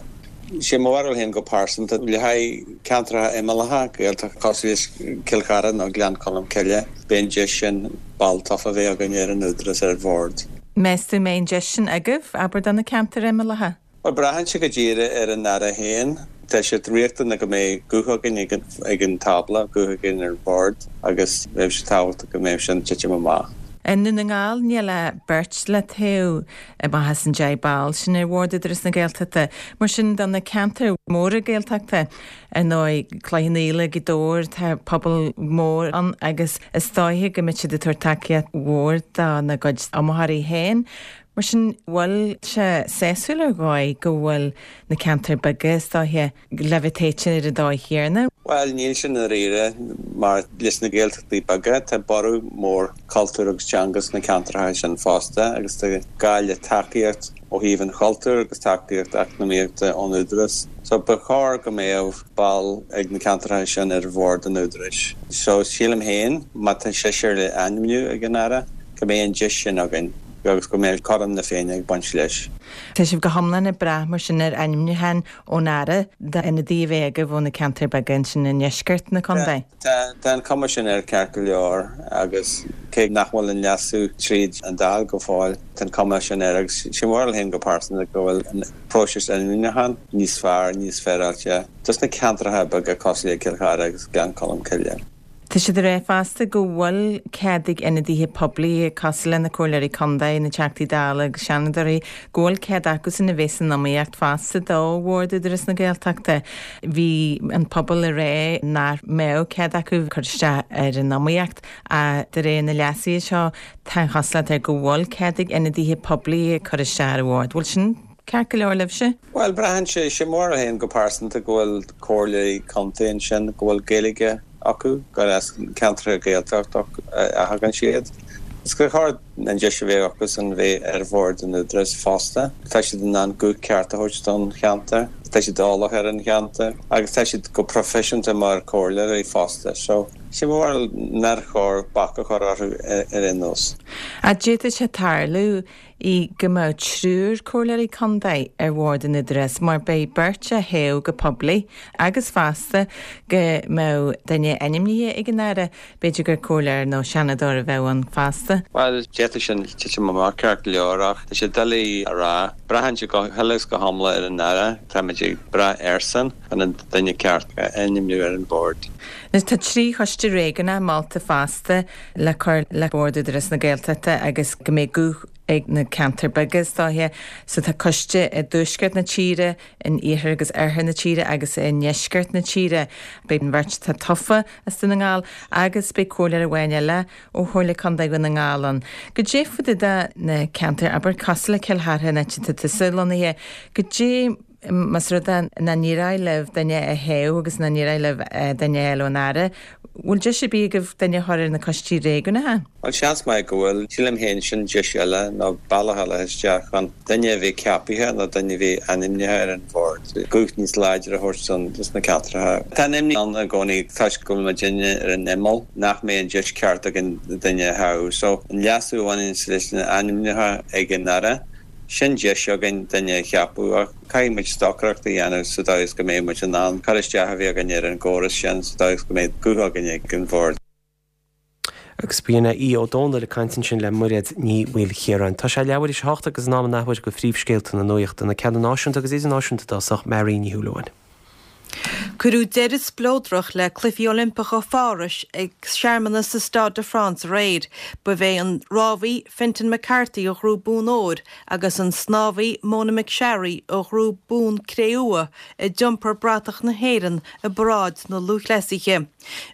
Sé mo bharúil féin go pearsanta, le haghaidh ceantracha imeallacha Gaeltachta cosúil le Cill Chartha nó Gleann Cholm Cille, beidh an deis sin ball tofa a bheith againn ar an Údarás ar an bhord. Meas tú an mbeidh an deis sin agaibh, abair, do na ceantair imeallacha? Bhuel, braitheann sé go díreach ar an Aire féin. Tá sé riachtanach go mbeidh guth againn ag an tábla, guth againn ar an bhord agus bheadh sé tábhachtach go mbeadh sin ag titim amach. I nDún na nGall níl ach beirt le toghadh amach as an 10 ball sin ar Bhord Údarás na Gaeltachta. Mar sin do na ceantair mhóra Gaeltachta, ar ndóigh, Cloich Cheann Fhaola, Gaoth Dobhair, tá pobal mór ann agus is dóiche go mbeidh siad ag tabhairt tacaíocht mhór dona gcuid iomaitheoirí féin. Mar sin, bhfuil sé sásúil ar dhóigh go bhfuil na ceantair beaga, is dóiche, le bheith toighte ar an dóigh chéanna? Bhuel, níl sé i ndáiríre, mar leis na Gaeltachtaí beaga, tá borradh mór cultúir agus teanga sna ceantracha sin fosta agus tá gá le tacaíocht ó thaobh an chultúir agus tacaíocht eacnamaíochta ón Údarás. So, ba chóir go mbeadh ball ag na ceantracha sin ar bhord an Údaráis. So, sílim féin, má tá seisear le ainmniú ag an Aire, go mbeidh an deis sin againn. agus go mbeidh cothrom na Féinne ag baint leis. Tá sibh go hiomlán ag brath mar sin ar ainmniúchán ón Aire d'ionadaí a bheith agaibh ó na ceantair beaga ansin i ndeisceart na contae? Tá, tá an cuma sin air ceart go leor agus cé nach bhfuil an leasú tríd an Dáil go fóill, tá an cuma sin air agus sé mo bharúil féin go pearsanta go bhfuil an próiseas ainmniúcháin níos fearr, níos féaráilte dos na ceantracha beaga cosúil le Cill Chartha agus Gleann Cholm Cille. Tá siad ag rá fosta go bhfuil cead ag ionadaithe poiblí, cosúil le na Comhairleoirí Contae, na Teachtaí Dála agus Seanadóirí, go bhfuil cead acusan a bheith san iomaíocht fosta do Bhord Údarás na Gaeltachta. Bhí an pobal ag rá nach mbeadh cead acu cur isteach ar an iomaíocht ach de réir na leasuithe seo tá an chosúlacht air go bhfuil cead ag ionadaithe poiblí cur isteach ar an bhord. Bhfuil sin ceart go leor libhse? Bhuel, braitheann sé, sé mo bharúil féin go pearsanta go bhfuil comhairleoirí contae ansin go bhfuil Gaeilge acu, gur as ceantracha Gaeltachta a thagann siad. Is gur chóir an deis a bheith acusan bheith ar bhord an Údaráis fosta. Tá siad in ann guth ceart a thabhairt don cheantar, tá siad eolach ar an cheantar agus tá siad go proifisiúnta mar chomhairleoirí fosta. So, sé mo bharúil nár chóir bac a chur orthu ar aon nós. Ach d'fhéadfadh sé tarlú í go mbeadh triúr comhairleoirí contae ar bhord an Údaráis mar beidh beirt á thoghadh go poiblí agus fosta go mbeadh duine ainmnithe ag an Aire, b'fhéidir gur comhairleoir nó seanadóir a bheadh ann fosta. Bhuel, d'fhéadfadh sin titim amach ceart go leor ach tá sé doiligh a rá. Braitheann sé go huile is go hiomlán ar an Aire, táimid ag brath airsean chun an duine ceart a ainmniú ar an bhord. Anois tá 3 choiste réigiúnach molta fosta le cur le Bord Údarás na Gaeltachta agus go mbeidh guth. ag na ceantair beaga is dóiche. So tá coiste i dtuaisceart na tíre, in iarthar agus oirthear na tíre agus i ndeisceart na tíre. Beidh an bheirt atá tofa as Dún na nGall agus beidh comhairleoir amháin eile ó Chomhairle Contae Dhún na nGall ann. Goidé fá dtaobh de na ceantair, abair, cosúil le Cill Chartha, an áit atá tusa lonnaithe, goidé más rud é nach n-éireoidh libh duine a thoghadh agus nach n-éireoidh libh duine a fháil ón Aire, bhfuil deis ar bith agaibh duine a chur ar na coistí réigiúnacha? Bhuel, seans maith go bhfuil. Sílim féin sin deis eile nó bealach eile isteach chun duine a bheith ceapaithe nó duine a bheith ainmnithe ar an bhord, guth níos láidre a thabhairt dos na ceantracha. Tá an imní ann i gcónaí toisc go bhfuil muidinne ar an imeall nach mbeidh an deis ceart againn duine a thoghadh. So, an leasú a bhaineanns leis na ainmniúcháin ag an Aire, sin deis againn duine a cheapadh ach caithfidh muid stocaireacht a dhéanamh sa dóigh is go mbeidh muid in ann cur isteach a bheith againn ar an gcóras sin sa dóigh is go mbeidh guth againn ag an bhord. Agus b'in é Aodh Ó Domhnaill ag caint ansin le Mairéad Ní Mhaoilchiaráin. Tá sé leathuair théis a hocht agus in am an athuair do phríomhscéalta na nuachta, na ceanna náisiúnta agus idirnáisiúnta i dtosach, Mary Ní Shúilleabháin. Cuireadh deireadh spleodrach le Cluichí Oilimpeacha Phárais ag searmanas sa Stade de France aréir. Ba é an rámhaí Fintan McCarthy a ghnóthaigh bonn óir agus an snámhaí Mona McSharry a ghnóthaigh bonn cré-umha a d'iompar bratach na hÉireann i bparáid na lúthchleasaithe.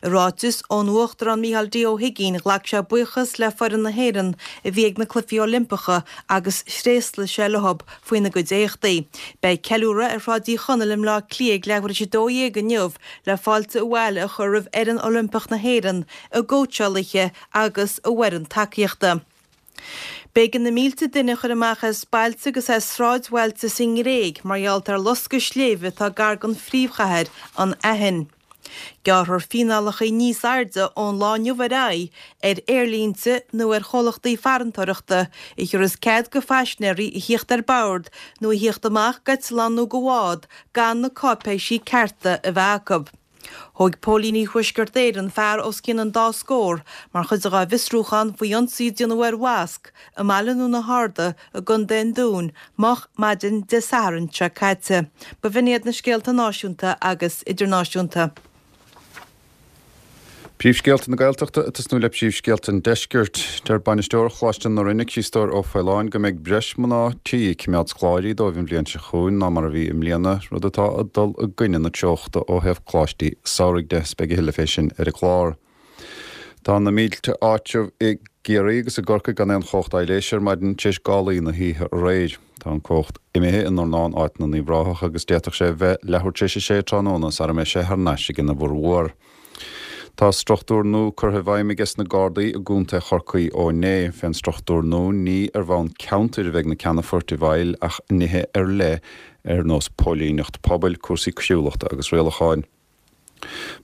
I ráiteas ón Uachtarán Micheál D. Ó hUigínn, ghlac sé buíochas le foireann na hÉireann a bhí ag na Cluichí Oilimpeacha agus thréaslaigh sé leo faoina gcuid éachtaí. Beidh ceiliúradh ar Shráid Uí Chonaill i mBleá Cliath ag leathuair théis 12 inniu le fáilte abhaile a chur roimh fhoireann Oilimpeach na hÉireann, a gcóitseálaithe agus a bhfoireann tacaíochta. B'éigean na mílte duine a chur amach as bailte agus as sráidbhailte sa nGréig mar gheall ar loscadh sléibhe atá gar don phríomhchathair, an Aithin. Gearrfar fíneálacha níos airde ón lá inniu ar aghaidh ar aerlínte nó ar chomhlachtaí farantóireachta a thiúrfas cead go phaisinéirí a thíocht ar bord nó a thíocht amach d'eitleán nó de bhád gan na cáipéisí cearta a bheith acu. Thóg póilíní Thuaisceart Éireann fear os cionn an dá scór mar chuid dá bhfiosrúchán faoi ionsaí a déanadh ar mhosc i mBaile na na hArda i gContae an Dúin moch maidin Dé Sathairn seo caite. Ba bh'in iad na scéalta náisiúnta agus idirnáisiúnta. Príomhscéalta na Gaeltachta ag tosnú le príomhscéalta an Deiscirt. Deir bainisteoir Choláiste na Rinne, Críostóir Ó Faoláin, go mbeidh breis mná tí ag coimeád scoláirí dóibh an bhliain seo chugainn ná mar a bhí i mbliana, rud atá ag dul i gcoinne na treochta ó thaobh coláistí samhraidh de. Beidh a thuilleadh fé sin ar an gclár. Tá na mílte áitreabh i gCiarraí agus i gCorcaigh gan aon chumhacht aibhléise ar maidin tar éis gálaí na hoíche aréir. Tá an cumhacht imithe i nDornán, áit na nUíbh Ráthach agus d'fhéadfadh sé a bheith leathuair tar éis a sé tráthnóna sara mbeidh sé thar n-ais ag ina bhformhór. Tá struchtúr nua curtha i bhfeidhm aige sna Gardaí i gContae Chorcaí ó inné. Fén struchtúr nua ní ar bhonn ceantair a bheidh na ceannafoirt i bhfeighil ach nithe ar leith ar nós póilíneacht pobail, cúrsaí coiriúlachta agus rialacháin.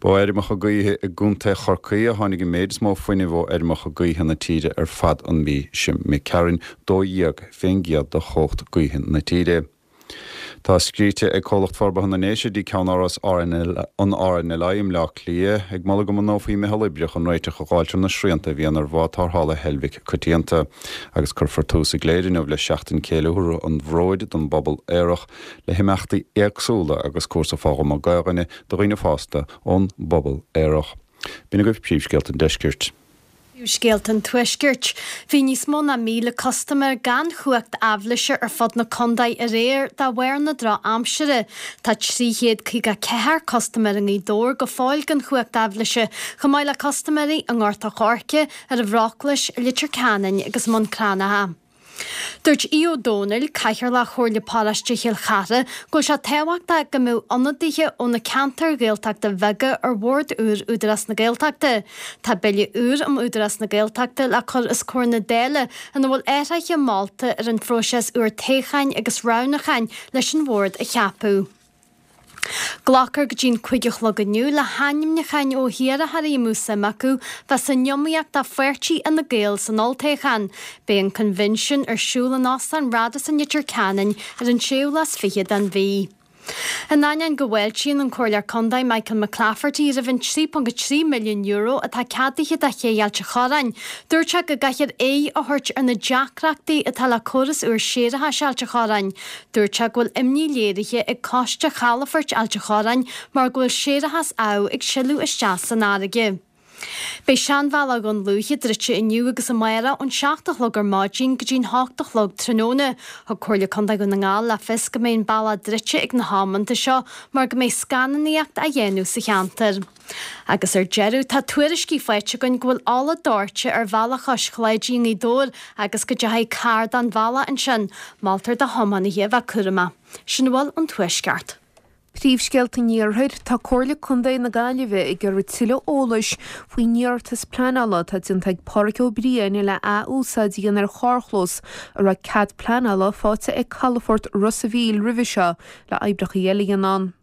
Ba ó fheirmeacha gaoithe i gContae Chorcaí a tháinig an méid is mó fuinnimh ó fheirmeacha gaoithe na tíre ar fad an mhí seo imigh tharainn, 12% de chumhacht gaoithe na tíre. Tá scríte ag Comhlacht Forbartha na nDéise dtí ceannáras an RNLI i mBleá Cliath ag moladh go mbunófaí meitheal oibre chun réiteach a dh'fháilt ar na srianta a bhíonn ar bhád tarrthála Heilbhic coitianta. Agus cuirfear tús i gCléire inniu le Seachtain Ceiliúrtha an Bhróid don bPobal Aerach le himeachtaí éagsúla agus cúrsa foghlama Gaelainne do dhaoine fásta ón bpobal aerach. B'in agaibh príomhscéalta an deiscirt. Príomhscéalta an Tuaiscirt. Bhí níos mó ná 1,000 custaiméir gan chumhacht aibhléise ar fud na contae aréir de bharr na drochaimsire. Tá 354 custaiméir i nGaoth Dobhair go fóill gan chumhacht aibhléise, chomh maith le custaiméirí i nGort a' Choirce, ar an Bhróclais, i Leitir Ceanainn agus i mBun Cranncha. Dúirt Aodh Ó Domhnaill, Cathaoirleach Chomhairle Paróiste Chill Chartha, go bhfuil sé tábhachtach go mbeadh ionadaithe ó na ceantair Ghaeltachta bheaga ar bhord úr Údarás na Gaeltachta. Tá Bille úr um Údarás na Gaeltachta le cur os comhair na Dála ina bhfuil athruithe molta ar an phróiseas úr toghcháin agus roghnúcháin leis an bhord a cheapadh. Glacfar go dtí'n 5 a chlog inniu le hainmniúcháin ó hiarrthóirí a mbeadh suim acu bheith san iomaíocht do pháirtí Fhine Gael san olltoghchán. Beidh an coinbhinsiún ar siúl in Óstán Radisson Leitir Ceanainn ar an séú lá is fiche den mhí. In ainneoin go bhfáiltíonn an Comhairleoir Contae Michael McClafferty roimh an €3.3 milliún atá ceadaithe do Ché Ailt a' Chorráin, dúirt sé go gcaithfear aghaidh a thabhairt ar na deacrachtaí atá le córas úr séarachais Ailt a' Chorráin. Dúirt sé go bhfuil imní léirithe ag Coiste Chalafoirt Ailt a' Chorráin mar go bhfuil séarachas amh ag sileadh isteach san fharraige. Beidh Seanbhealach Dhún Lúiche druidte inniu agus amárach ón 7 a chlog ar maidin go dtí'n 8 a chlog tráthnóna. Thug Comhairle Contae Dhún na nGall le fios go mbeidh an bealach druidte ag na hamanta seo mar go mbeidh scannánaíocht á dhéanamh sa cheantar. Agus ar deireadh, tá tuairiscí faighte againn go bhfuil ola dóite ar bhealach Chois Cláidí i nGaoth Dobhair agus go dteachaigh carr den bhealach ansin. Moltar do thiománaithe a bheith cúramach. Sin a bhfuil ón Tuaisceart. Príomhscéalta an Iarthair, Tá Comhairle Contae na Gaillimhe ag iarraidh tuilleadh eolais faoin iarratas pleanála atá déanta ag Páraic Ó Briain le ath-úsáid a dhéanamh ar charrchlós a raibh cead pleanála faighte ag Calafort Ros a' Mhíl roimhe seo le oibreacha eile a dhéanamh ann.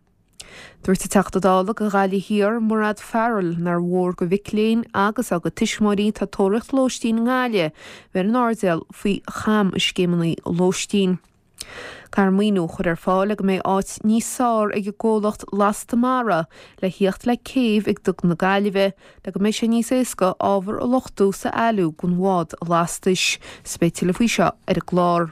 Dúirt an Teachta Dála do Ghaillimh Thiar, Mairéad Farrell, nár mhór do mhic léinn agus dá gcuid tuismitheoirí atá ag tóraíocht lóistín i nGaillimh bheith ar an airdeall faoi chamscéimeanna lóistín. Caithfear maoiniú a chur ar fáil le go mbeidh áit níos fearr ag an gcomhlacht Lasta Mara le thíocht le céibh ag Duga na Gaillimhe le go mbeidh sé níos éasca ábhar a luchtú 's a fhailiú don bhád lastais. 'S beidh tuilleadh faoi seo ar an gclár.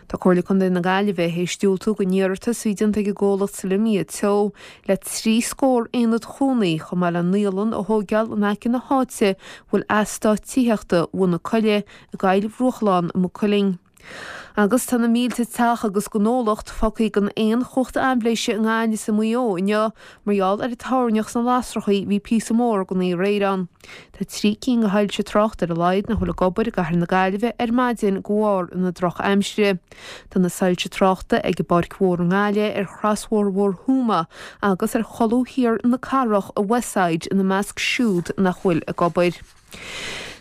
Tá Comhairle Contae na Gaillimhe théis diúltú don iarratas a bhí déanta ag an gcomhlacht Solemia Teo le 30 scór aonad chónaí chomh maith le naíolann a thóigeáil in aice na háite a bhfuil eastát tithíochta Bhun na Coille i gCoill Bhruachlán i Maigh Cuilinn. Agus tá na mílte teach agus gnólacht fágtha gan aon chumhacht aibhléise i nGaillimh is i Maigh Eo inniu mar gheall ar an toirneach sna lasrachaí bhí píosa mór den oíche aréir ann. Tá 3 cinn de shoilse tráchta ar a laghad nach bhfuil ag obair i gcathair na Gaillimhe ar maidin de bharr na drochaimsire. Tá na soilse tráchta ag an bPáirc Mhór i nGaillimh, ar Chrosbhóthar Mhór Thuama agus ar cholbha thiar na cathrach i Westside ina measc siúd nach bhfuil ag obair.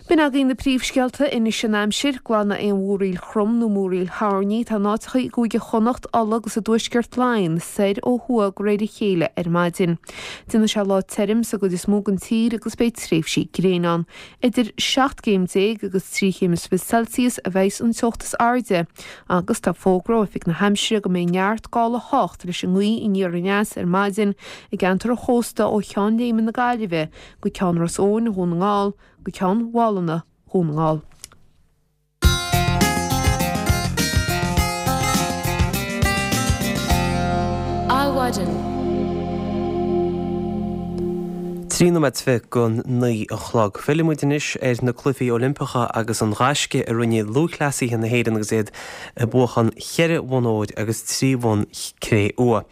B'in againn na príomhscéalta, anois an aimsir, glanadh aon mhúraíl throm nó múraíl thoirní, tá in áiteacha i gCúige Chonnacht, Uladh agus i dtuaisceart Laighean soir ó thuaidh de réir a chéile ar maidin. Déanfaidh sé lá tirim sa gcuid is mó den tír agus beidh tréimhsí gréine ann. Idir 17 gcéim agus 3 chéim is fiche Celsius a bheidhs an teocht is airde agus tá fógra ó Oifig na hAimsire go mbeidh neart gála a theacht leis an ngaoth aniar aneas ar maidin i gceantar an chósta ó Cheann Léime na Gaillimhe go Ceann Ros Eoghain, Dhún na nGall, go Ceann Mhálanna, Dhún na nGall. Adhmhaidin. 13 nóiméad go 9 a chlog. Fillfidh muid anois ar na Cluichí Oilimpeacha agus an gaisce a rinne lúthchleasaithe na hÉireann agus iad ag buachan cheithre bhonn óir agus 3 bhonn cré-umha.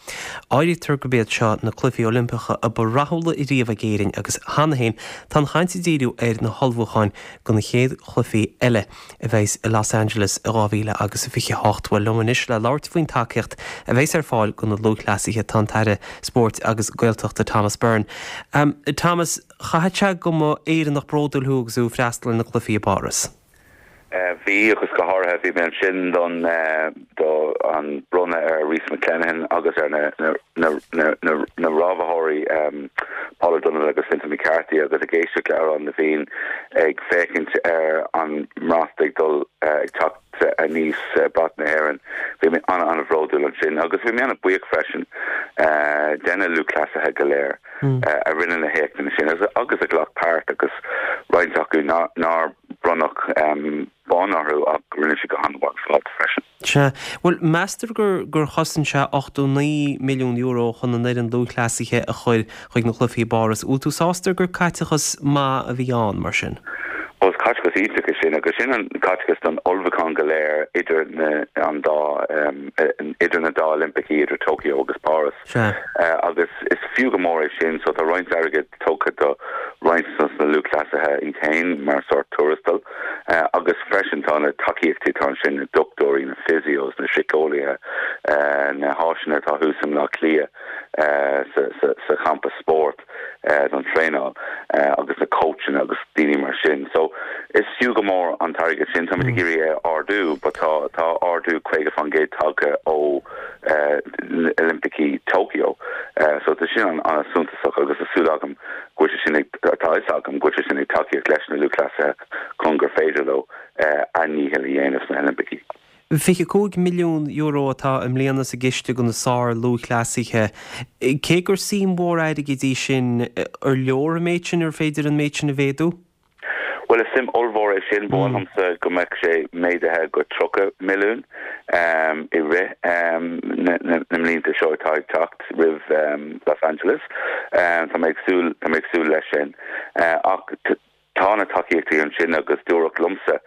Áirítear gurb iad seo na Cluichí Oilimpeacha a ba rathúla riamh ag Éirinn agus cheana féin tá an chaint ag díriú ar na hullmhúcháin do na chéad chluichí eile a bheas i Los Angeles i 2028. Bhuel, liom anois le labhairt faoin tacaíocht a bheas ar fáil do na lúthchleasaithe tá an tAire Spóirt agus Gaeltachta Thomas Byrne. Thomas, chaithfeadh sé go mba Éireannach bródúil thú agus tú ag freastal ar na cluichí i bPáras. Bhí, agus go háirithe bhí mé ansin don do an bronnadh ar Rhys McClenaghan agus ar na na na na na rámhaitheoirí Paul O'Donovan agus Fintan McCarthy agus ag éisteacht le Amhrán na bhFiann ag féachaint ar an mbrat ag dul ag teacht aníos brat na hÉireann. Bhí mé an-an-bhródúil ansin agus bhí mé an-bhuíoch freisin de na lúthchleasaithe go léir a rinne na héachtanna sin agus a ghlac páirt agus roinnt acu nár bronnadh bonn orthu ach rinne siad go han-mhaith ar fad freisin. Sea. Bhuel, meastar gur gur chosain sé €89 milliún chun an fhoireann lúthchleasaithe a chur chuig na cluichí i bPáras. Bhfuil tú sásta gur caiteachas maith a bhí ann, mar sin? Ó, is caiteachas iontach é sin agus sin an caiteachas don ullmhúchán go léir idir na an dá idir na dá Oilimpicí, idir Tokyo agus Páras. Sea. Agus is fiú go mór é sin, so tá roinnt airgid tugtha do roinnt dos na lúthchleasaithe iad féin mar sórt tuarastal agus freisin tá na tacaíochtaí atá ansin, na dochtúirí, na physios, na síceolaithe, na háiseanna atá thuas i mBleá Cliath sa champa spóirt don traenáil agus na cóitseanna agus daoine mar sin. So is fiú go mór an t-airgead sin. Táimid ag iarraidh é a ardú but tá tá ardú 50% tagtha ó Oilimpicí Tokyo. So tá sin an-suntasach agus tá súil agam go bhfuil sé sin ag, tá a fhios agam go bhfuil sé sin ag tacaíocht leis na lúthchleasaithe chun gur féidir leo a ndícheall a dhéanamh sna hOilimpicí. €25 milliún atá i mbliana sa gciste do na sár-lúthchleasaithe. Cé gur suim mhór airgid í sin, ar leor an méid sin, ar féidir an méid sin a mhéadú? Bhuel, is suim ollmhór é sin. Ba mhaith liomsa go mbeadh sé méadaithe go 30 milliún i rith na mblianta seo atá ag teacht roimh Los Angeles. Tá mé ag súil, tá mé ag súil leis sin. Ach tá na tacaíochtaí ansin agus dúradh liomsa,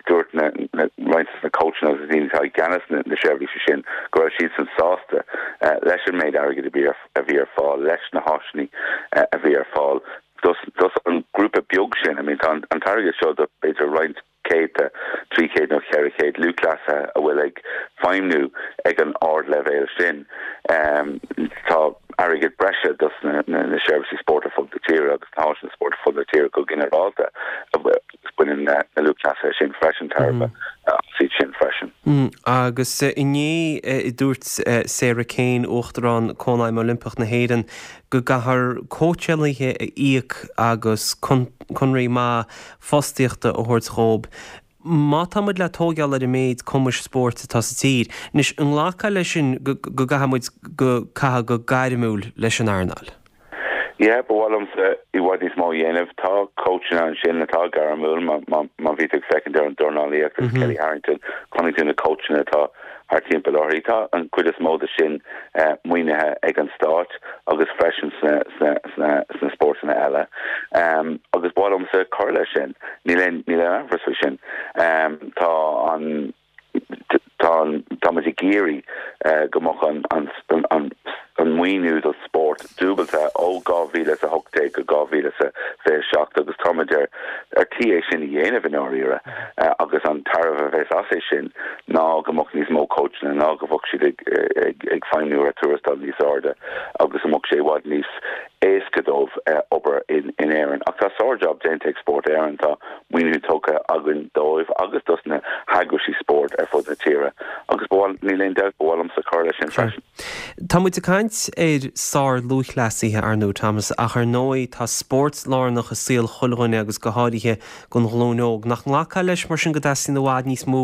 dúirt na roinnt de na cóitseanna agus na daoine atá i gceannas na seirbhíse sin go raibh siadsan sásta leis an méid airgid a bhí ar a bhí ar fáil, leis na háiseanna a bhí ar fáil dos an grúpa beag sin. I mean tá an t-airgead seo do b'fhéidir roinnt céadta, 300 nó 400 lúthchleasaithe a bhfuil ag feidhmniú ag an ardleibhéal sin. Tá airgead breise dos na seirbhísí spóirt ar fud na tíre agus na háiseanna spóirt ar fud na tíre go ginearálta agus baineann na lúthchleasaithe sin freisin tairbhe as iad sin freisin. Agus inné dúirt Sarah Kane, Uachtarán Cónaidhm Oilimpeach na hÉireann, go gcaithfear cóitseálaithe a íoc agus conraí maith fostaíochta a thabhairt dhóibh má tá muid le tóigeáil ar an méid cumais spóirt atá sa tír. Anois, an nglacfá leis sin go gcaithfidh muid go caitheamh go gairmiúil leis an earnáil? Yeah, ba mhaith liomsa i bhfad níos mó a dhéanamh. Tá cóitseanna ansin atá gairmiúil, má bhí tú ag féachaint ar an dornálaíocht agus Kellie Harrington, chonaic tú na cóitseanna atá thart timpeall uirthi. Tá an chuid is mó de sin maoinithe ag an stát agus freisin sna spórtanna eile. Agus ba mhaith liomsa cur leis sin, níl aon amhras faoi sin. Tá an. Tá tá muid ag iarraidh go mbeadh an an maoiniú do spórt dúbailte ó 2018 go 2027 agus tá muid ar ar tí é sin a dhéanamh i ndáiríre agus an tairbhe a bheas as é sin ná go mbeadh níos mó cóitseanna, ná go mbeadh siad ag ag ag feidhmniú ar tuarastal níos airde agus go mbeadh sé i bhfad níos éasca dóibh obair in in Éirinn. Ach tá sár-jab déanta ag Spórt Éireann, tá maoiniú tugtha againn dóibh agus dos na heagraisí spóirt ar fud na tíre agus ba mhaith, níl aon dabht, ba mhaith liomsa cur leis sin freisin. Tá muid ag caint ar sár-lúthchleasaithe, ar ndóigh, Thomas, ach ar ndóigh tá spórt lárnach i saol chuile dhuine agus go háirithe don ghlúin óg. Nach nglacfá leis mar sin go dteastaíonn i bhfad níos mó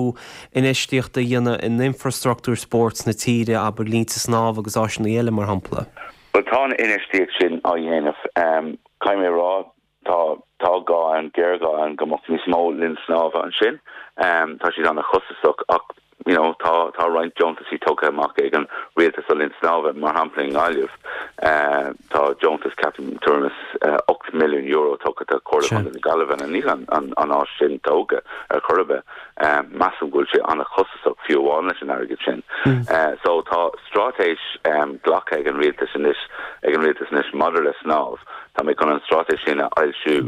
infheistíochta a dhéanamh in infreastruchtúr spóirt na tíre, abair línte snámha agus áiseanna eile mar shampla? Bhuel, tá an infheistíocht sin á dhéanamh. Caithfidh mé a rá, Tá, tá gá ann, géarghá ann go mbeadh níos mó linn snámha ansin. Tá siad an-chostasach ach you know tá, tá roinnt deontaisí tugtha amach ag an rialtas do linn snámha, mar shampla i nGaillimh tá deontas ceapaim tuairim is €8 milliún tugtha do Chomhairle Chontae na Gaillimhe and níl an, an, an áis sin tógtha ar chor ar bith. Measaim go bhfuil sé an-chostasach fiú amháin leis an airgead sin. So tá straitéis glactha ag an rialtas anois, ag an rialtas anois maidir le snámh. Tá mé chun an straitéis sin a fhoilsiú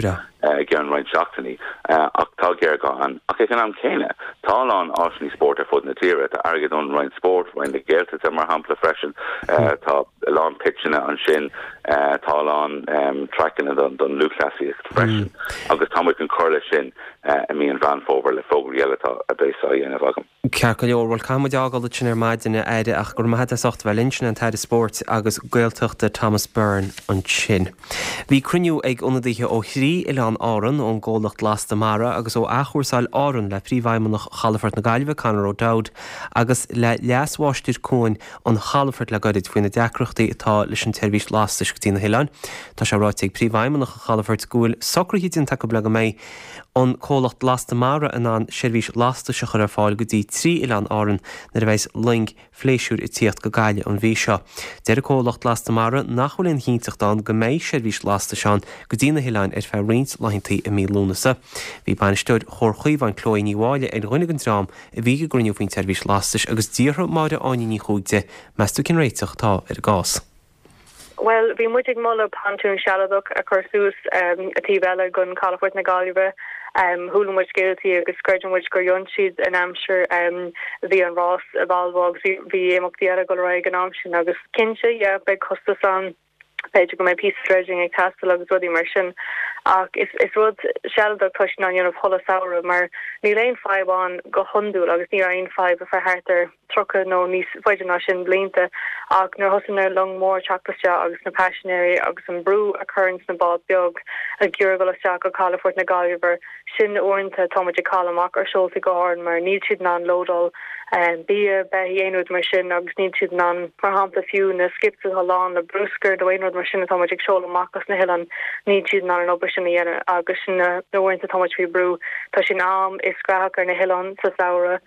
i gceann roinnt seachtainí, ach tá géarghá ann. Ach ag an am céanna, tá a lán áiseanna spóirt ar fud na tíre. Tá airgead ón Roinn Spóirt, Roinn na Gaeltachta, mar shampla, freisin. Tá a lán pitseanna ansin. Tá a lán traiceanna don lúthchleasaíocht freisin. Agus tá muid chun cur leis sin i mí an Mheán Fómhair le fógraí eile atá a bheas á dhéanamh agam. Ceart go leor, bhuel caithfidh muid a fhágáil ansin ar maidin, a Aire, ach go raibh maith agat as ucht a bheith linn. Sin é an tAire Spóirt agus Gaeltachta Thomas Byrne ansin. Bhí cruinniú ag ionadaithe ó thrí oileán Árann, ón gcomhlacht Lasta Mara agus ó Athchúrsáil Árann le Príomhfheidhmeannach Chalafort na Gaillimhe, Conor O'Dowd, agus le Leas-Mháistir Cuain an Chalafoirt le gairid faoi na deacrachtaí atá leis an tseirbhís lastais go dtí na hoileáin. Tá sé ráite ag Príomhfheidhmeannach an Chalafoirt go bhfuil socruithe déanta acu le go mbeidh an comhlacht Lasta Mara in ann seirbhís lastais a chur ar fáil go dtí trí oileán Árann nuair a bheas loing phléisiúir ag tíocht go Gaillimh an mhí seo. Deir an comhlacht Lasta Mara nach bhfuil aon chinnteacht ann go mbeidh seirbhís lastais ann go dtí na hoileáin ar feadh roinnt laethantaí i mí Lúnasa. Bhí bainisteoir Chomhar Chaomháin Chloe Ní Mháille ar dhuine den dream a bhí ag an gcruinniú faoin tseirbhís lastais agus d'fhiafraigh Máire Áine Ní Chuaig di, meas tú cén réiteach atá ar an gcás? Bhuel, bhí muid ag moladh pontún sealadach a chur suas an taobh eile den chalafort na Gaillimhe. Chuala muid scéaltaí agus creideann muid gur dhein siad in aimsir bhí an rás i Volvo agus bhí imeachtaí eile ag dul ar aghaidh an am sin agus cinnte, yeah, beidh costas ann, b'fhéidir go mbeidh píosa dredging ag teastáil agus rudaí mar sin ach is is rud sealadach tá siad in ann a dhéanamh chuile samhradh mar níl aon fadhb ann go hiondúil agus ní raibh aon fadhb ar feadh thart ar 30 nó níos faide ná sin blianta, ach nuair a thosaigh na long mór teacht isteach agus na paisinéirí agus an brú a chuireanns na bád beag ag iarraidh dul isteach go calafort na Gaillimhe, sin uaireanta tá muid ag cailleadh amach ar seoltaí go hÁrainn mar níl siad in ann lódáil bia, beithígh, aon rud mar sin agus níl siad in ann, mar shampla, fiú na skips atá lán le bruscar nó aon rud. bád mar sin atá muid ag seoladh amach as na hoileáin, níl siad in ann an obair sin a dhéanamh agus sin na uaireanta atá muid faoi brú. Tá sé in am is graitheach ar na hoileáin sa samhradh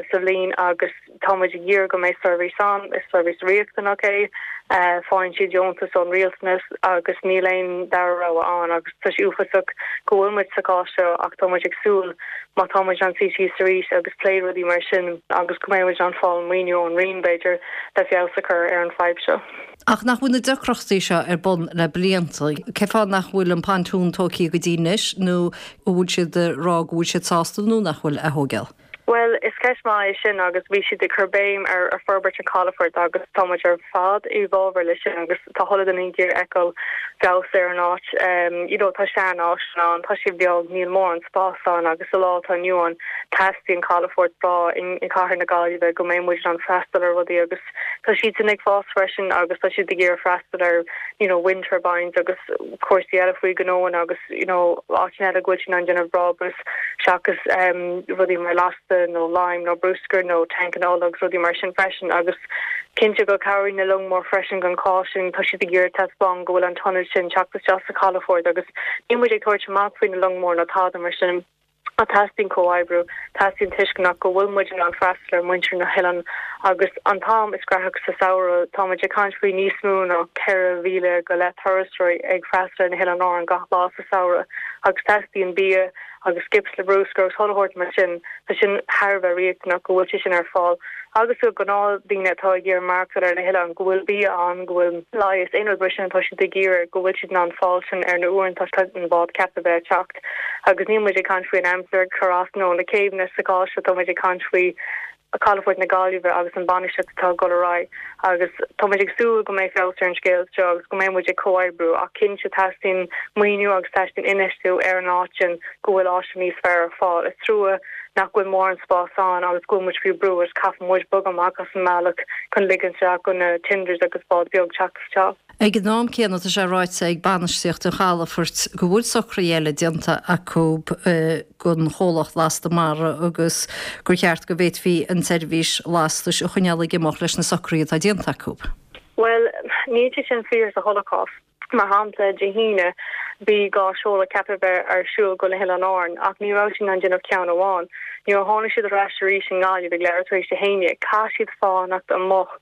sa bhliain agus. Tá muid ag iarraidh go mbeidh seirbhís ann, is seirbhís riachtanach é, faigheann siad deontas ón rialtanas agus níl aon dara rogha ann agus tá sé uafásach go bhfuil muid sa chás seo ach tá muid ag súil má tá muid in ann suí síos arís agus plé rudaí mar sin agus go mbeidh muid in ann fáil maoiniú ón Roinn b'fhéidir le feabhas a chur ar an fadhb seo. Ach nach bhfuil na deacrachtaí seo ar bun le blianta? Cén fáth nach bhfuil an pontún tógtha go dtí anois nó an bhfuil siad ag rá go bhfuil siad sásta nó nach bhfuil á thógáil? Bhuel, is ceist maith é sin agus bhí siad ag cur béim ar forbairt an chalafoirt agus tá muid ar fad i bhfabhar le sin agus tá chuile duine ag iarraidh feiceáil feabhas ar an áit. You know, tá sean áiseanna ann, tá sé beag, níl mórán spás ann agus sa lá atá inniu ann teastaíonn calafort breá i gcathair na Gaillimhe go mbeidh muid in ann freastal ar rudaí agus tá siadsan ag fás freisin agus tá siad ag iarraidh freastal ar you know wind turbines agus cúrsaí eile faoi ghnóanna agus you know áiteanna eile go bhfuil siad in ann déanamh brabús seachas rudaí mar lasta nó lime nó bruscar nó tancanna ola agus rudaí mar sin freisin agus cinnte go cabhraíonn na long mór freisin don chás sin tá siad ag iarraidh taispeáin go bhfuil an t-ionad sin teacht isteach sa chalafort agus níl muid ag tabhairt amach faoi na long mór nó tada mar sin. Ach teastaíonn comhoibriú, teastaíonn tuisceanach go bhfuil muid in ann freastal ar mhuintir na hoileán agus an t-am is graitheach sa samhradh, tá muid ag caint faoi níos mó ná 4,000 go leith turasóirí ag freastal ar na hOileáin Árann gach lá sa samhradh agus teastaíonn bia agus skips le bruscar agus chuile shórt mar sin, tá sin thar a bheith riachtanach go bhfuil sé sin ar fáil. Agus do ghnáth-dhaoine atá ag iarraidh maireachtáil ar na hoileáin, go bhfuil bia ann, go bhfuil leigheas, aon rud mar sin atá siad ag iarraidh, go bhfuil siad in ann fáil sin ar na uaireanta atá an bád ceaptha a bheith ag teacht. Agus níl muid ag caint faoi an aimsir ag cur as nó na céibheanna sa chás seo, tá muid ag caint faoi Chalafort na Gaillimhe agus an bainistíocht atá ag dul ar aghaidh. Agus tá muid ag súil go mbeidh feabhas ar an scéal seo agus go mbeidh muid ag comhoibriú ach cinnte teastaíonn maoiniú agus teastaíonn infheistiú ar an áit sin go bhfuil áiseanna níos fearr ar fáil. Is trua nach bhfuil mórán spás ann agus go bhfuil muid faoi brú agus caithfidh muid bogadh amach as an mbealach chun ligean isteach go na tenders agus bád beag teacht isteach. Ag an am céanna, tá sé ráite ag bainistíocht an chalafoirt go bhfuil socruithe eile déanta acu don chomhlacht lasta mara agus gur cheart go bhféadfaí an tseirbhís lastais a choinneáil ag imeacht leis na socruithe atá déanta acu. Bhuel, níl sé sin fíor sa chuile chás. Mar shampla, Dé hAoine, bhí 2 seoladh ceaptha bheith ar siúl go na hOileáin Árann ach ní raibh siad in ann déanamh ceann amháin. Nuair a tháinig siad ar ais arís i nGaillimh ag leathuair tar éis a haon dhéag, chaith siad fanacht amuigh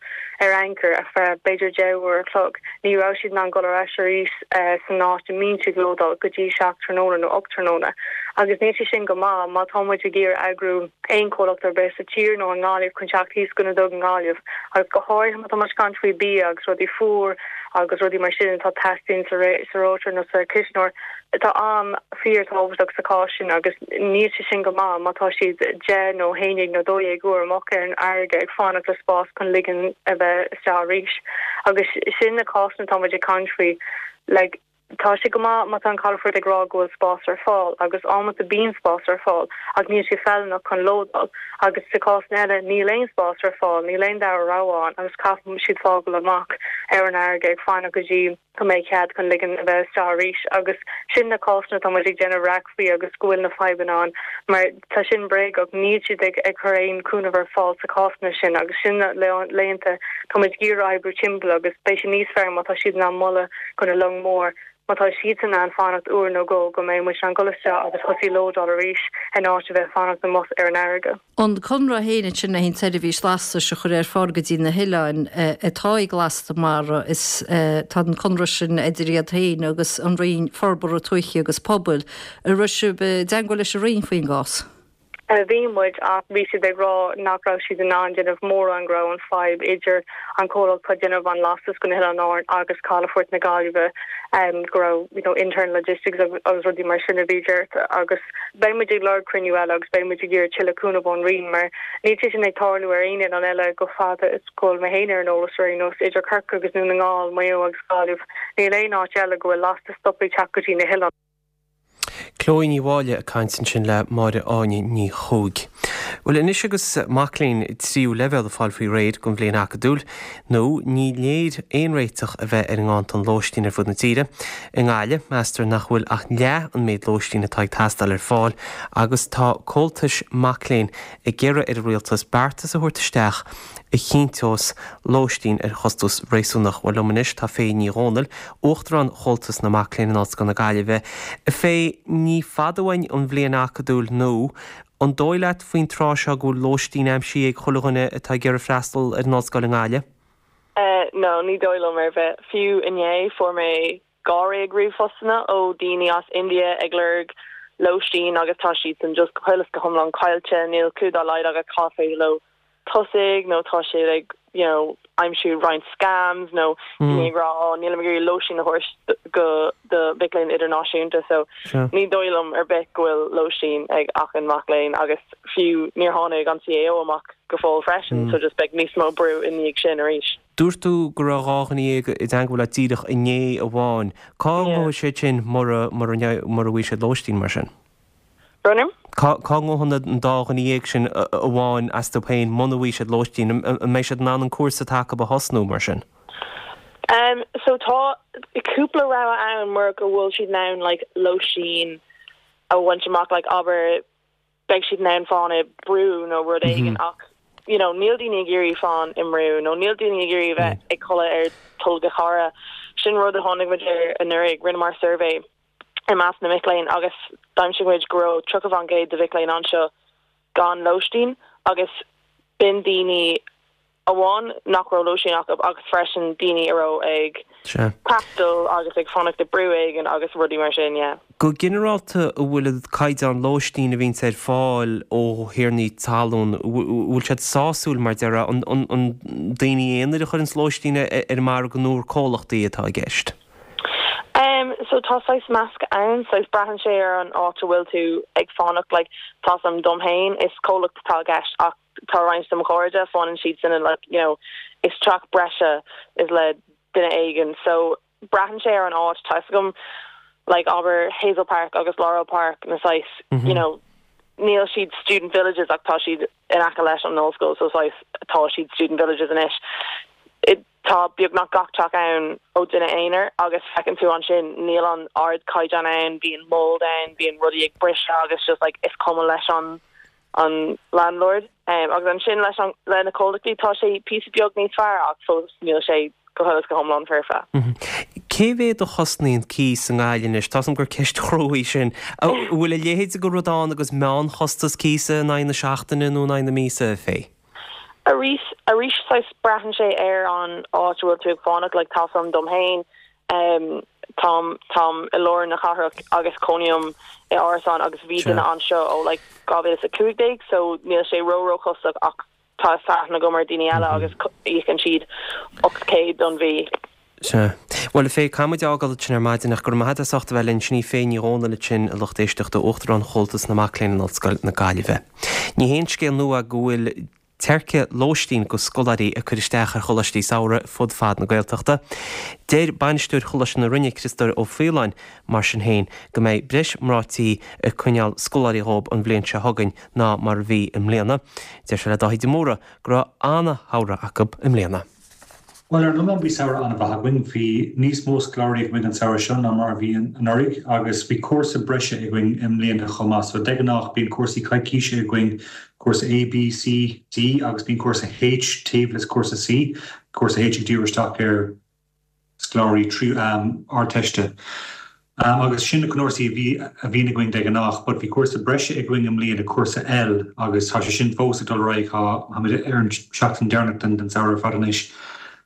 ar anchor ar feadh b'fhéidir 10 uair a chloig. Ní raibh siad in ann dul ar ais arís san áit a mbíonn siad ag lódáil go dtí 7 tráthnóna nó 8 tráthnóna. Agus níl sé sin go maith má tá muid ag iarraidh eagrú aon chomhlacht ar bith sa tír nó i nGaillimh chun teacht thíos go na Duga i nGaillimh agus go háirithe má tá muid ag caint faoi bia agus rudaí fuar agus rudaí mar sin atá teastaíonn sa reoiteoir nó sa chuisneoir. Tá am fíor tábhachtach sa chás sin agus níl sé sin go maith má tá siad 10 nó 11 nó 12 uair amach ar an fharraige ag fanacht le spás chun ligean a bheith isteach arís. Agus sin na cásanna atá muid ag caint faoi. Like, tá sé go maith má tá an calafort ag rá go bhfuil spás ar fáil agus amanta bíonn spás ar fáil ach níl sé feiliúnach chun lódáil agus sa cásanna eile níl aon spás ar fáil, níl aon dara rogha ann agus caithfidh siad fágáil amach ar an fharraige ag fanacht go dtí go mbeidh cead chun ligean a bheith isteach arís agus sin na cásanna atá muid ag déanamh raic faoi agus go bhfuil na fadhbanna ann mar tá sin bréagach, níl siad ag ag cur aon cúnamh ar fáil sa cásanna sin agus sin na laethanta tá muid ag iarraidh oibriú timpeall agus beidh sé níos fearr má tá siad in ann moladh go na long mór má tá siadsan in ann fanacht uair nó dhó go mbeidh muid in ann dul isteach agus thosaí lódáil arís in áit a bheith fanacht amuigh ar an fharraige. An conradh féin ansin le haghaidh an tseirbhís lastais a chur ar fáil go dtí na hoileáin atá ag Lasta Mara, is tá an conradh sin idir iad féin agus an Roinn Forbartha Tuaithe agus Pobail. An raibh sibh i dteangmháil leis an Roinn faoin gcás? Bhí muid ach bhí siad ag rá nach raibh siad in ann déanamh mórán go raibh an fadhb idir an comhlacht atá ag déanamh an lastas go na hOileáin Árann agus calafort na Gaillimhe go raibh you know internal logistics agus rudaí mar sin a bhí deartha agus Beidh muid ag lorg cruinniú eile agus beidh muid ag iarraidh tuilleadh cúnamh ón Roinn mar níl sé sin ag tarlú ar aon oileán eile go fada is go bhfuil mé féin ar an eolas ar aon nós, idir Corcaigh agus Dún na nGall, Maigh Eo agus Gaillimh, níl aon áit eile go bhfuil lastas stoptha ag teacht go dtí na hoileáin. Chloe Ní Mháille ag caint ansin le Máire Áine Ní Chuaig. Bhuel, anois agus mac léinn tríú leibhéal ag fáil faoi réir don bhliain acadúil, nó ní léir aon réiteach a bheith ar an nganntan lóistín ar fud na tíre. I nGaillimh, meastar nach bhfuil ach leath an méid lóistín atá ag teastáil ar fáil agus tá comhaltais mac léinn ag iarraidh ar an rialtas beartas a thabhairt isteach a chinnteos lóistín ar chostas réasúnach. Bhuel, liom anois tá Faye Ní Dhomhnaill, Uachtarán Chomhaltas na Mac Léinn in Ollscoil na Gaillimhe. A Faye, ní fada uainn an bhliain acadúil nua. An dóigh leat faoin tráth seo go bhfuil lóistín aimsithe ag chuile dhuine atá ag iarraidh freastal ar an ollscoil i nGaillimh? No, ní dóigh liom ar bith. Fiú inné fuair mé dháréag ríomhphostanna ó daoine as India ag lorg lóistín agus tá siadsan just go huile is go hiomlán caillte, níl clue dá laghad acu cá féidir leo tosaigh nó tá siad ag you know aimsiú roinnt scams nó daoine ag rá oh nílim ag iarraidh lóistín a thabhairt go do mhic léinn idirnáisiúnta so ní dóigh liom ar bith go bhfuil lóistín ag achan mac léinn agus fiú níor tháinig an CAO amach go fóill freisin so just beidh níos mó brú i ndiaidh sin arís. Dúirt tú go raibh 12 dhuine i dteangmháil leat díreach inné amháin. Cá ngabhfaidh siad sin mura mura mura bhfaighidh siad lóistín mar sin? Brón orm? Cá cá ngabhfaidh an dá dhuine dhéag sin amháin astu féin muna bhfaighidh siad lóistín? An mbeidh siad in ann an cúrsa atá acu a thosnú mar sin? Um so tá cúpla rogha ann mura go bhfuil siad in ann like lóistín a bhaint amach like abair beidh siad in ann fán i mbrú nó rud éigin ach you know níl daoine ag iarraidh fán i mbrú nó níl daoine ag iarraidh a bheith ag codladh ar tolg cara. Sin rud a tháinig muid air anuraidh, rinneamar suirbhé i measc na mic léinn agus d'aimsigh muid go raibh 30% de mhic léinn anseo gan lóistín agus b'in daoine amháin nach raibh lóistín acu agus freisin daoine a raibh ag taisteal agus ag fanacht i brú éigin agus rudaí mar sin, yeah. Go ginearálta, an bhfuil an caighdeán lóistín a bhíonns ar fáil ó thiarnaí talún, an bhfuil siad sásúil mar déarfá, an daoine aonair a chuireanns lóistín ar an margadh nó ar comhlachtaí atá i gceist? Em so tá saghas measc ann, saghas braitheann sé ar an áit a bhfuil tú ag fanacht, like tá 's a'm dom féin is comhlacht atá i gceist ach tá roinnt de mo chairde, fanann siad sin in like you know is teach breise is le duine éigin so braitheann sé ar an áit, tá 'fhios agam like abair Hazel Park agus Laurel Park na saghas you know níl siad student villages ach tá siad in aice leis an ollscoil so saghas tá siad student villages anois. Tá beagnach gach teach ann ó duine aonair agus feiceann tú ansin níl an ardchaighdeán ann, bíonn mold ann, bíonn rudaí ag briseadh agus just like is cuma leis an an landlord. Agus ansin leis an le na comhlachtaí tá sé píosa beag níos fearr ach fós níl sé go huile is go hiomlán foirfe. Cé mhéad a chosnaíonn cíos i nGaillimh anois? Tá's agam gur ceist chrua í sin. An bhfuil a leithéid de rud ann agus meánchostas cíosa in aghaidh na seachtaine nó in aghaidh na míosa, a Faye? Arís, arís saghas braitheann sé ar an áit a bhfuil tú ag fanacht, like tá's a'm dom fhéin, em táim, táim i lár na cathrach agus cónaím i árasán agus bhí duine anseo ó like 2015 so níl sé ró ró chostasach ach tá aithne agam ar daoine eile agus íocann siad 800 don mhí. Sea. Bhuel, a Faye, caithfidh muid a fhágáil ansin ar maidin ach go raibh maith agat as ucht a bheith linn. Sin í Faye Ní Dhomhnaill ansin, a lucht éisteachta, Uachtarán Chomhaltas na Mac Léinn in Ollscoil na Gaillimhe. Ní haon scéal nua go bhfuil teirce lóistín go scoláirí ag cur isteach ar choláistí samhraidh fud fad na Gaeltachta. Deir bainisteoir Choláiste na Rinne, Criostóir Ó Faoláin, mar sin féin, go mbeidh breis mná tí ag coinneáil scoláirí dhóib an bhliain seo chugainn ná mar a bhí i mbliana. Deir sé le Dáithí de Mórdha go raibh ana-shamhradh acu i mbliana. Bhuel, ar an iomlán bhí samhradh an-mhaith againn. Bhí níos mó scoláirí againn an samhradh seo ná mar a bhí anuraidh agus bhí cúrsa breise againn i mbliana chomh maith. So de ghnáth bíonn cúrsaí coicíse againn, cúrsa A, B, C, D agus bíonn cúrsa H taobh le cúrsa C, cúrsa H ag díriú isteach ar scoláirí Ardteiste. Agus sin na cúrsaí a bhí a bhíonn againn de ghnáth, but bhí cúrsa breise againn i mbliana, cúrsa L, agus tá sé sin fós ag dul ar aghaidh, tá, táimid ar an seachtain deireanach den den samhradh ar fad anois.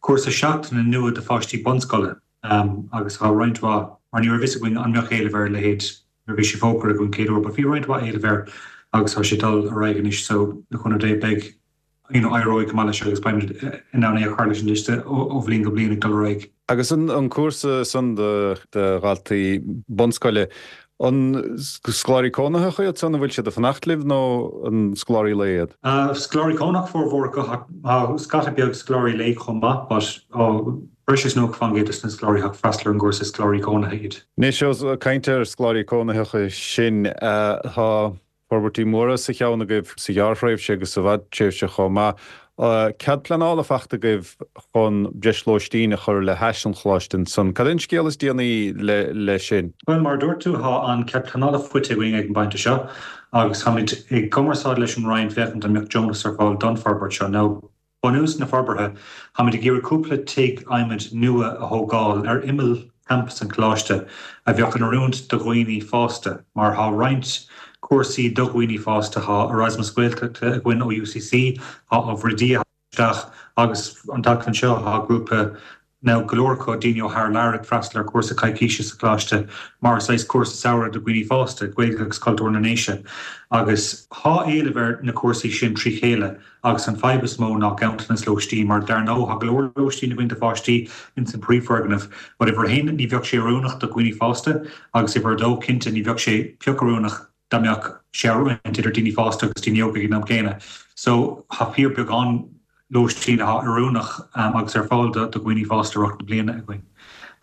Cúrsa seachtaine nua do pháistí bunscoile, agus tá roinnt mhaith, mar ní raibh fhios againn an mbeadh éileamh ar a leithéid nuair a bhí sé fógartha againn chéad uair, but bhí roinnt mhaith éileamh air agus tá sé ag dul ar aghaidh anois, so le cúnamh Dé beidh you know, éireoidh go maith leis agus beimid in ann é a chur leis an liosta ó bhliain go bliain ag dul ar aghaidh. Agus an cúrsa san do dhaltaí bunscoile, an scoláirí cónaitheacha iad san, an bhfuil siad ag fanacht libh nó an scoláirí lae iad? Scoláirí cónaitheacha formhór acu ach tá scata beag scoláirí lae chomh maith but breis is 90% de na scoláirí atá ag freastal ar an gcúrsa is scoláirí cónaithe iad. Anois, ós ag caint ar scoláirí cónaitheacha sin, tá. Forbairtí móra sa cheann agaibh sa ghearrthréimhse agus sa bhfadtréimhse chomh maith. Cead pleanála faighte agaibh chun breis lóistín a chur le hais an choláiste ansan. Cad é an scéal is déanaí leis sin? Bhuel, mar a dúirt tú, tá an cead pleanála faighte againn ag an bpointe seo agus táimid i gcumarsáid leis an Roinn féachaint an mbeadh deontas ar fáil don forbairt seo. Now, Bunús na forbartha, táimid ag iarraidh cúpla tigh adhmaid nua a thógáil ar imeall champas an choláiste a bheadh in oiriúint do dhaoine fásta mar tá roinnt cúrsaí do dhaoine fásta, tá Erasmus Gaeltachta againn ó UCC, tá ábhar oidí a isteach agus an tseachtain seo tá grúpa Now go leor acu, daoine ó thar lear ag freastal ar chúrsa coicíse sa choláiste mar saghas cúrsa samhraidh do dhaoine fásta, Gaeilge agus Cultúr na nDéise. Agus thá éileamh ar na cúrsaí sin trí chéile agus an fadhb is mó ná ganntanas lóistín mar dar ndóigh thá go leor lóistín againn do pháistí ins an príomhfhoirgneamh but uimhir a haon ní bheadh sé oiriúnach do dhaoine fásta agus uimhir a dó cinnte ní bheadh sé pioc oiriúnach dá mbeadh sé á roinnt idir daoine fásta agus daoine óga ag an am céanna. So tá fíor beagán lóistín atá oiriúnach agus ar fáil do dhaoine fásta i rith na bliana againn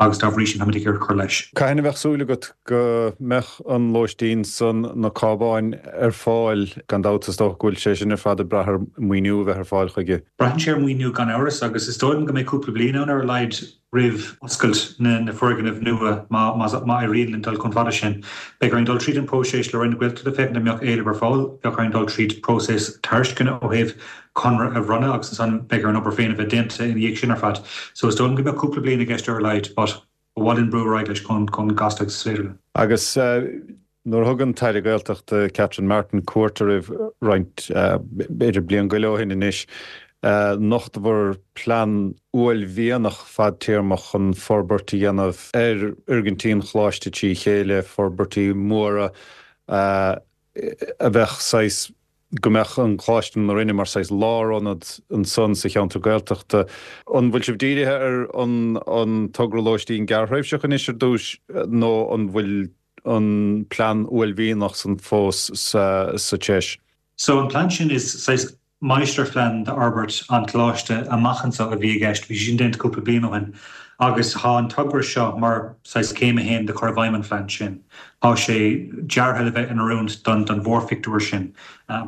agus dá bhrí sin táimid ag iarraidh cur leis. Cathain a bheadh súil agat go mbeadh an lóistín san, na cábáin, ar fáil? Gan dabht is dócha go bhfuil sé sin ar fad ag brath ar mhaoiniú a bheith ar fáil chuige. Braitheann sé ar mhaoiniú gan amhras agus is dóigh liom go mbeidh cúpla bliain ann ar a laghad roimh oscailt na foirgneamh nua má éiríonn linn dul chomh fada sin. Beidh orainn dul tríd an próiseas le Roinn na Gaeltachta féachaint an mbeadh éileamh ar fáil. Bheadh orainn dul tríd próiseas tairisceana ó thaobh conradh a bhronnadh agus ansan beidh ar an obair féin a bheith déanta ina dhiaidh sin ar fad. So is dóigh liom go mbeadh cúpla bliain i gceist ar a laghad but ba mhaith linn brú ar aghaidh leis chomh gasta agus is féidir linn. Agus Nuair a thug an tAire Gaeltachta Catherine Martin cuairt oraibh roinnt, b'fhéidir bliain go leith ó shin anois, nochtadar plean uaillmhianach fadtéarmach chun forbairt a dhéanamh ar fhoirgintí an Choláiste trí chéile, forbairtí móra a bheadh saghas, go mbeadh an Coláiste na Rinne mar saghas lárionad ansan sa cheantar Gaeltachta. An bhfuil sibh dírithe ar an togra lóistín gearrthréimhseach anois ar dtús nó an bhfuil an plean uaillmhianach san fós sa treis. So an plean sin is saghas máistirphlean d'fhorbairt an choláiste amach anseo a bhí i gceist, bhí sé sin déanta cúpla bliain ó shin agus tá an togra seo mar saghas céim a haon de chur i bhfeidhm an phlean sin. Tá sé deartha le bheith in oiriúint don mhórphictiúr sin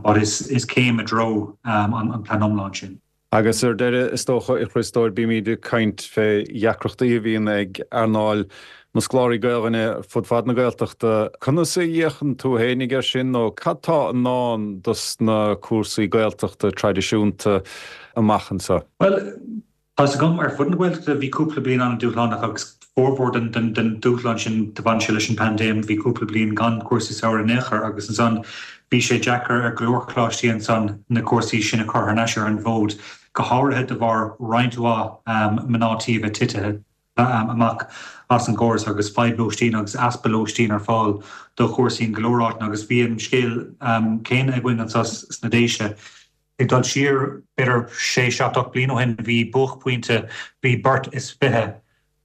but is céim i dtreo an plean iomlán sin. Agus ar deireadh, is dócha, a Chriostóir, bímid ag caint fé dheacrachtaí a bhíonn ag earnáil na scoláirí Gaelainne fud fad na Gaeltachta. Conas a fhéachann tú fhéinig air sin nó cad tá i ndán dos na cúrsaí Gaeltachta traidisiúnta amach anseo? Bhuel, tá's agam, ar fud na Gaeltachta bhí cúpla bliain an-dúshlánach agus formhór den dúshlán sin do bhain sé leis an bpaindéim. Bhí cúpla bliain gan cúrsaí samhraidh in aon chor agus ansan bhí sé deacair ar go leor coláistí ansan na cúrsaí sin a chur thar n-ais ar an bhfód, go háirithe de bharr roinnt mhaith mná tí a bheith titithe amach as an gcóras agus fadhb lóistín agus easpa lóistín ar fáil do chúrsaí in go leor áiteanna agus bhí an scéal céanna againn anso sna Déise. Ag dul siar b'fhéidir sé, seacht, 8 bliain ó shin bhí buaicphointe, bhí beirt is 20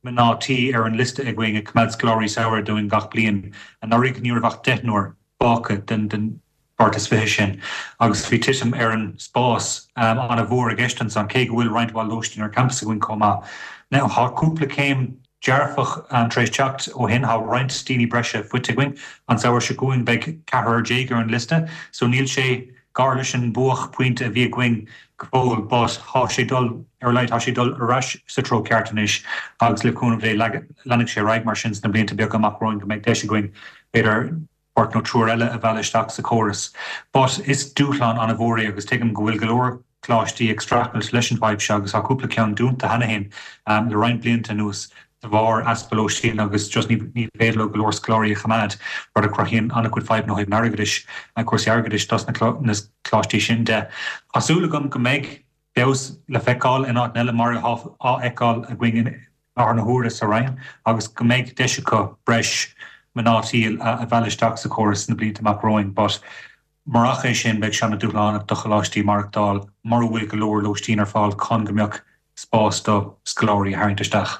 mná tí ar an liosta againn ag coimeád scoláirí samhraidh dúinn gach bliain. Anuraidh ní raibh ach deichniúr fágtha den bheirt is 20 sin agus bhí titim ar an spás an-mhór i gceist ansan, cé go bhfuil roinnt mhaith lóistín ar campas againn chomh maith. Now tá cúpla céim dearfach tar éis teacht ó shin, tá roinnt daoine breise faighte againn. An samhradh seo chugainn beidh ceathrar déag ar an liosta so níl sé gar leis an buaicphointe a bhí againn go fóill but tá sé dul, ar a laghad tá sé dul ar ais sa treo ceart anois agus le cúnamh Dé leanfaidh sé ar aghaidh mar sin sna blianta beaga amach romhainn go mbeidh deis againn b'fhéidir beirt nó triúr eile a mhealladh isteach sa chóras. But is dúshlán an-mhór é agus tuigim go bhfuil go leor coláistí ag streachailt leis an bhfadhb seo agus tá cúpla ceann dúnta cheana féin le roinnt blianta anuas de bharr easpa lóistín agus just ní féidir leo go leor scoláirí a choimeád, rud a chruthaíonn an-chuid fadhbanna ó thaobh an airgeadais, cúrsaí airgeadais dos na coláistí sin de. Tá súil agam go mbeidh feabhas le feiceáil in áiteanna eile mar atá á fheiceáil againn i láthair na huaire sa Rinn agus go mbeidh deis acu breis mná tí a mhealladh isteach sa chóras sna blianta amach romhainn but Murach é sin, beidh sé an-dúshlánach do choláistí maireachtáil mura bhfuil go leor lóistín ar fáil chun go mbeadh spás do scoláirí a tharraingt isteach.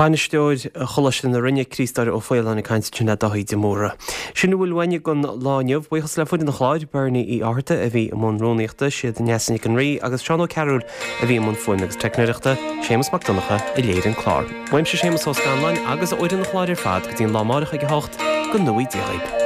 Bainisteoir Choláiste na Rinne, Críostóir Ó Faoláin ag caint ansin le Dáithí de Mórdha. Sin a bhfuil uainne don lá inniu. Buíochas le foireann an chláir, Bernie Uí Fhátharta a bhí i mbun rúnaíochta, siad Neasa Nic an Rí agus Seán Ó Cearúil a bhí i mbun fuaime agus teicneoireachta, Séamus Mac Donncha a léirigh an clár. Uaimse Séamus Ó Scanláin agus ó fhoireann an chláir ar fad go dtí an lá amárach ag a hocht, go ngnóthaí Dia dhaoib.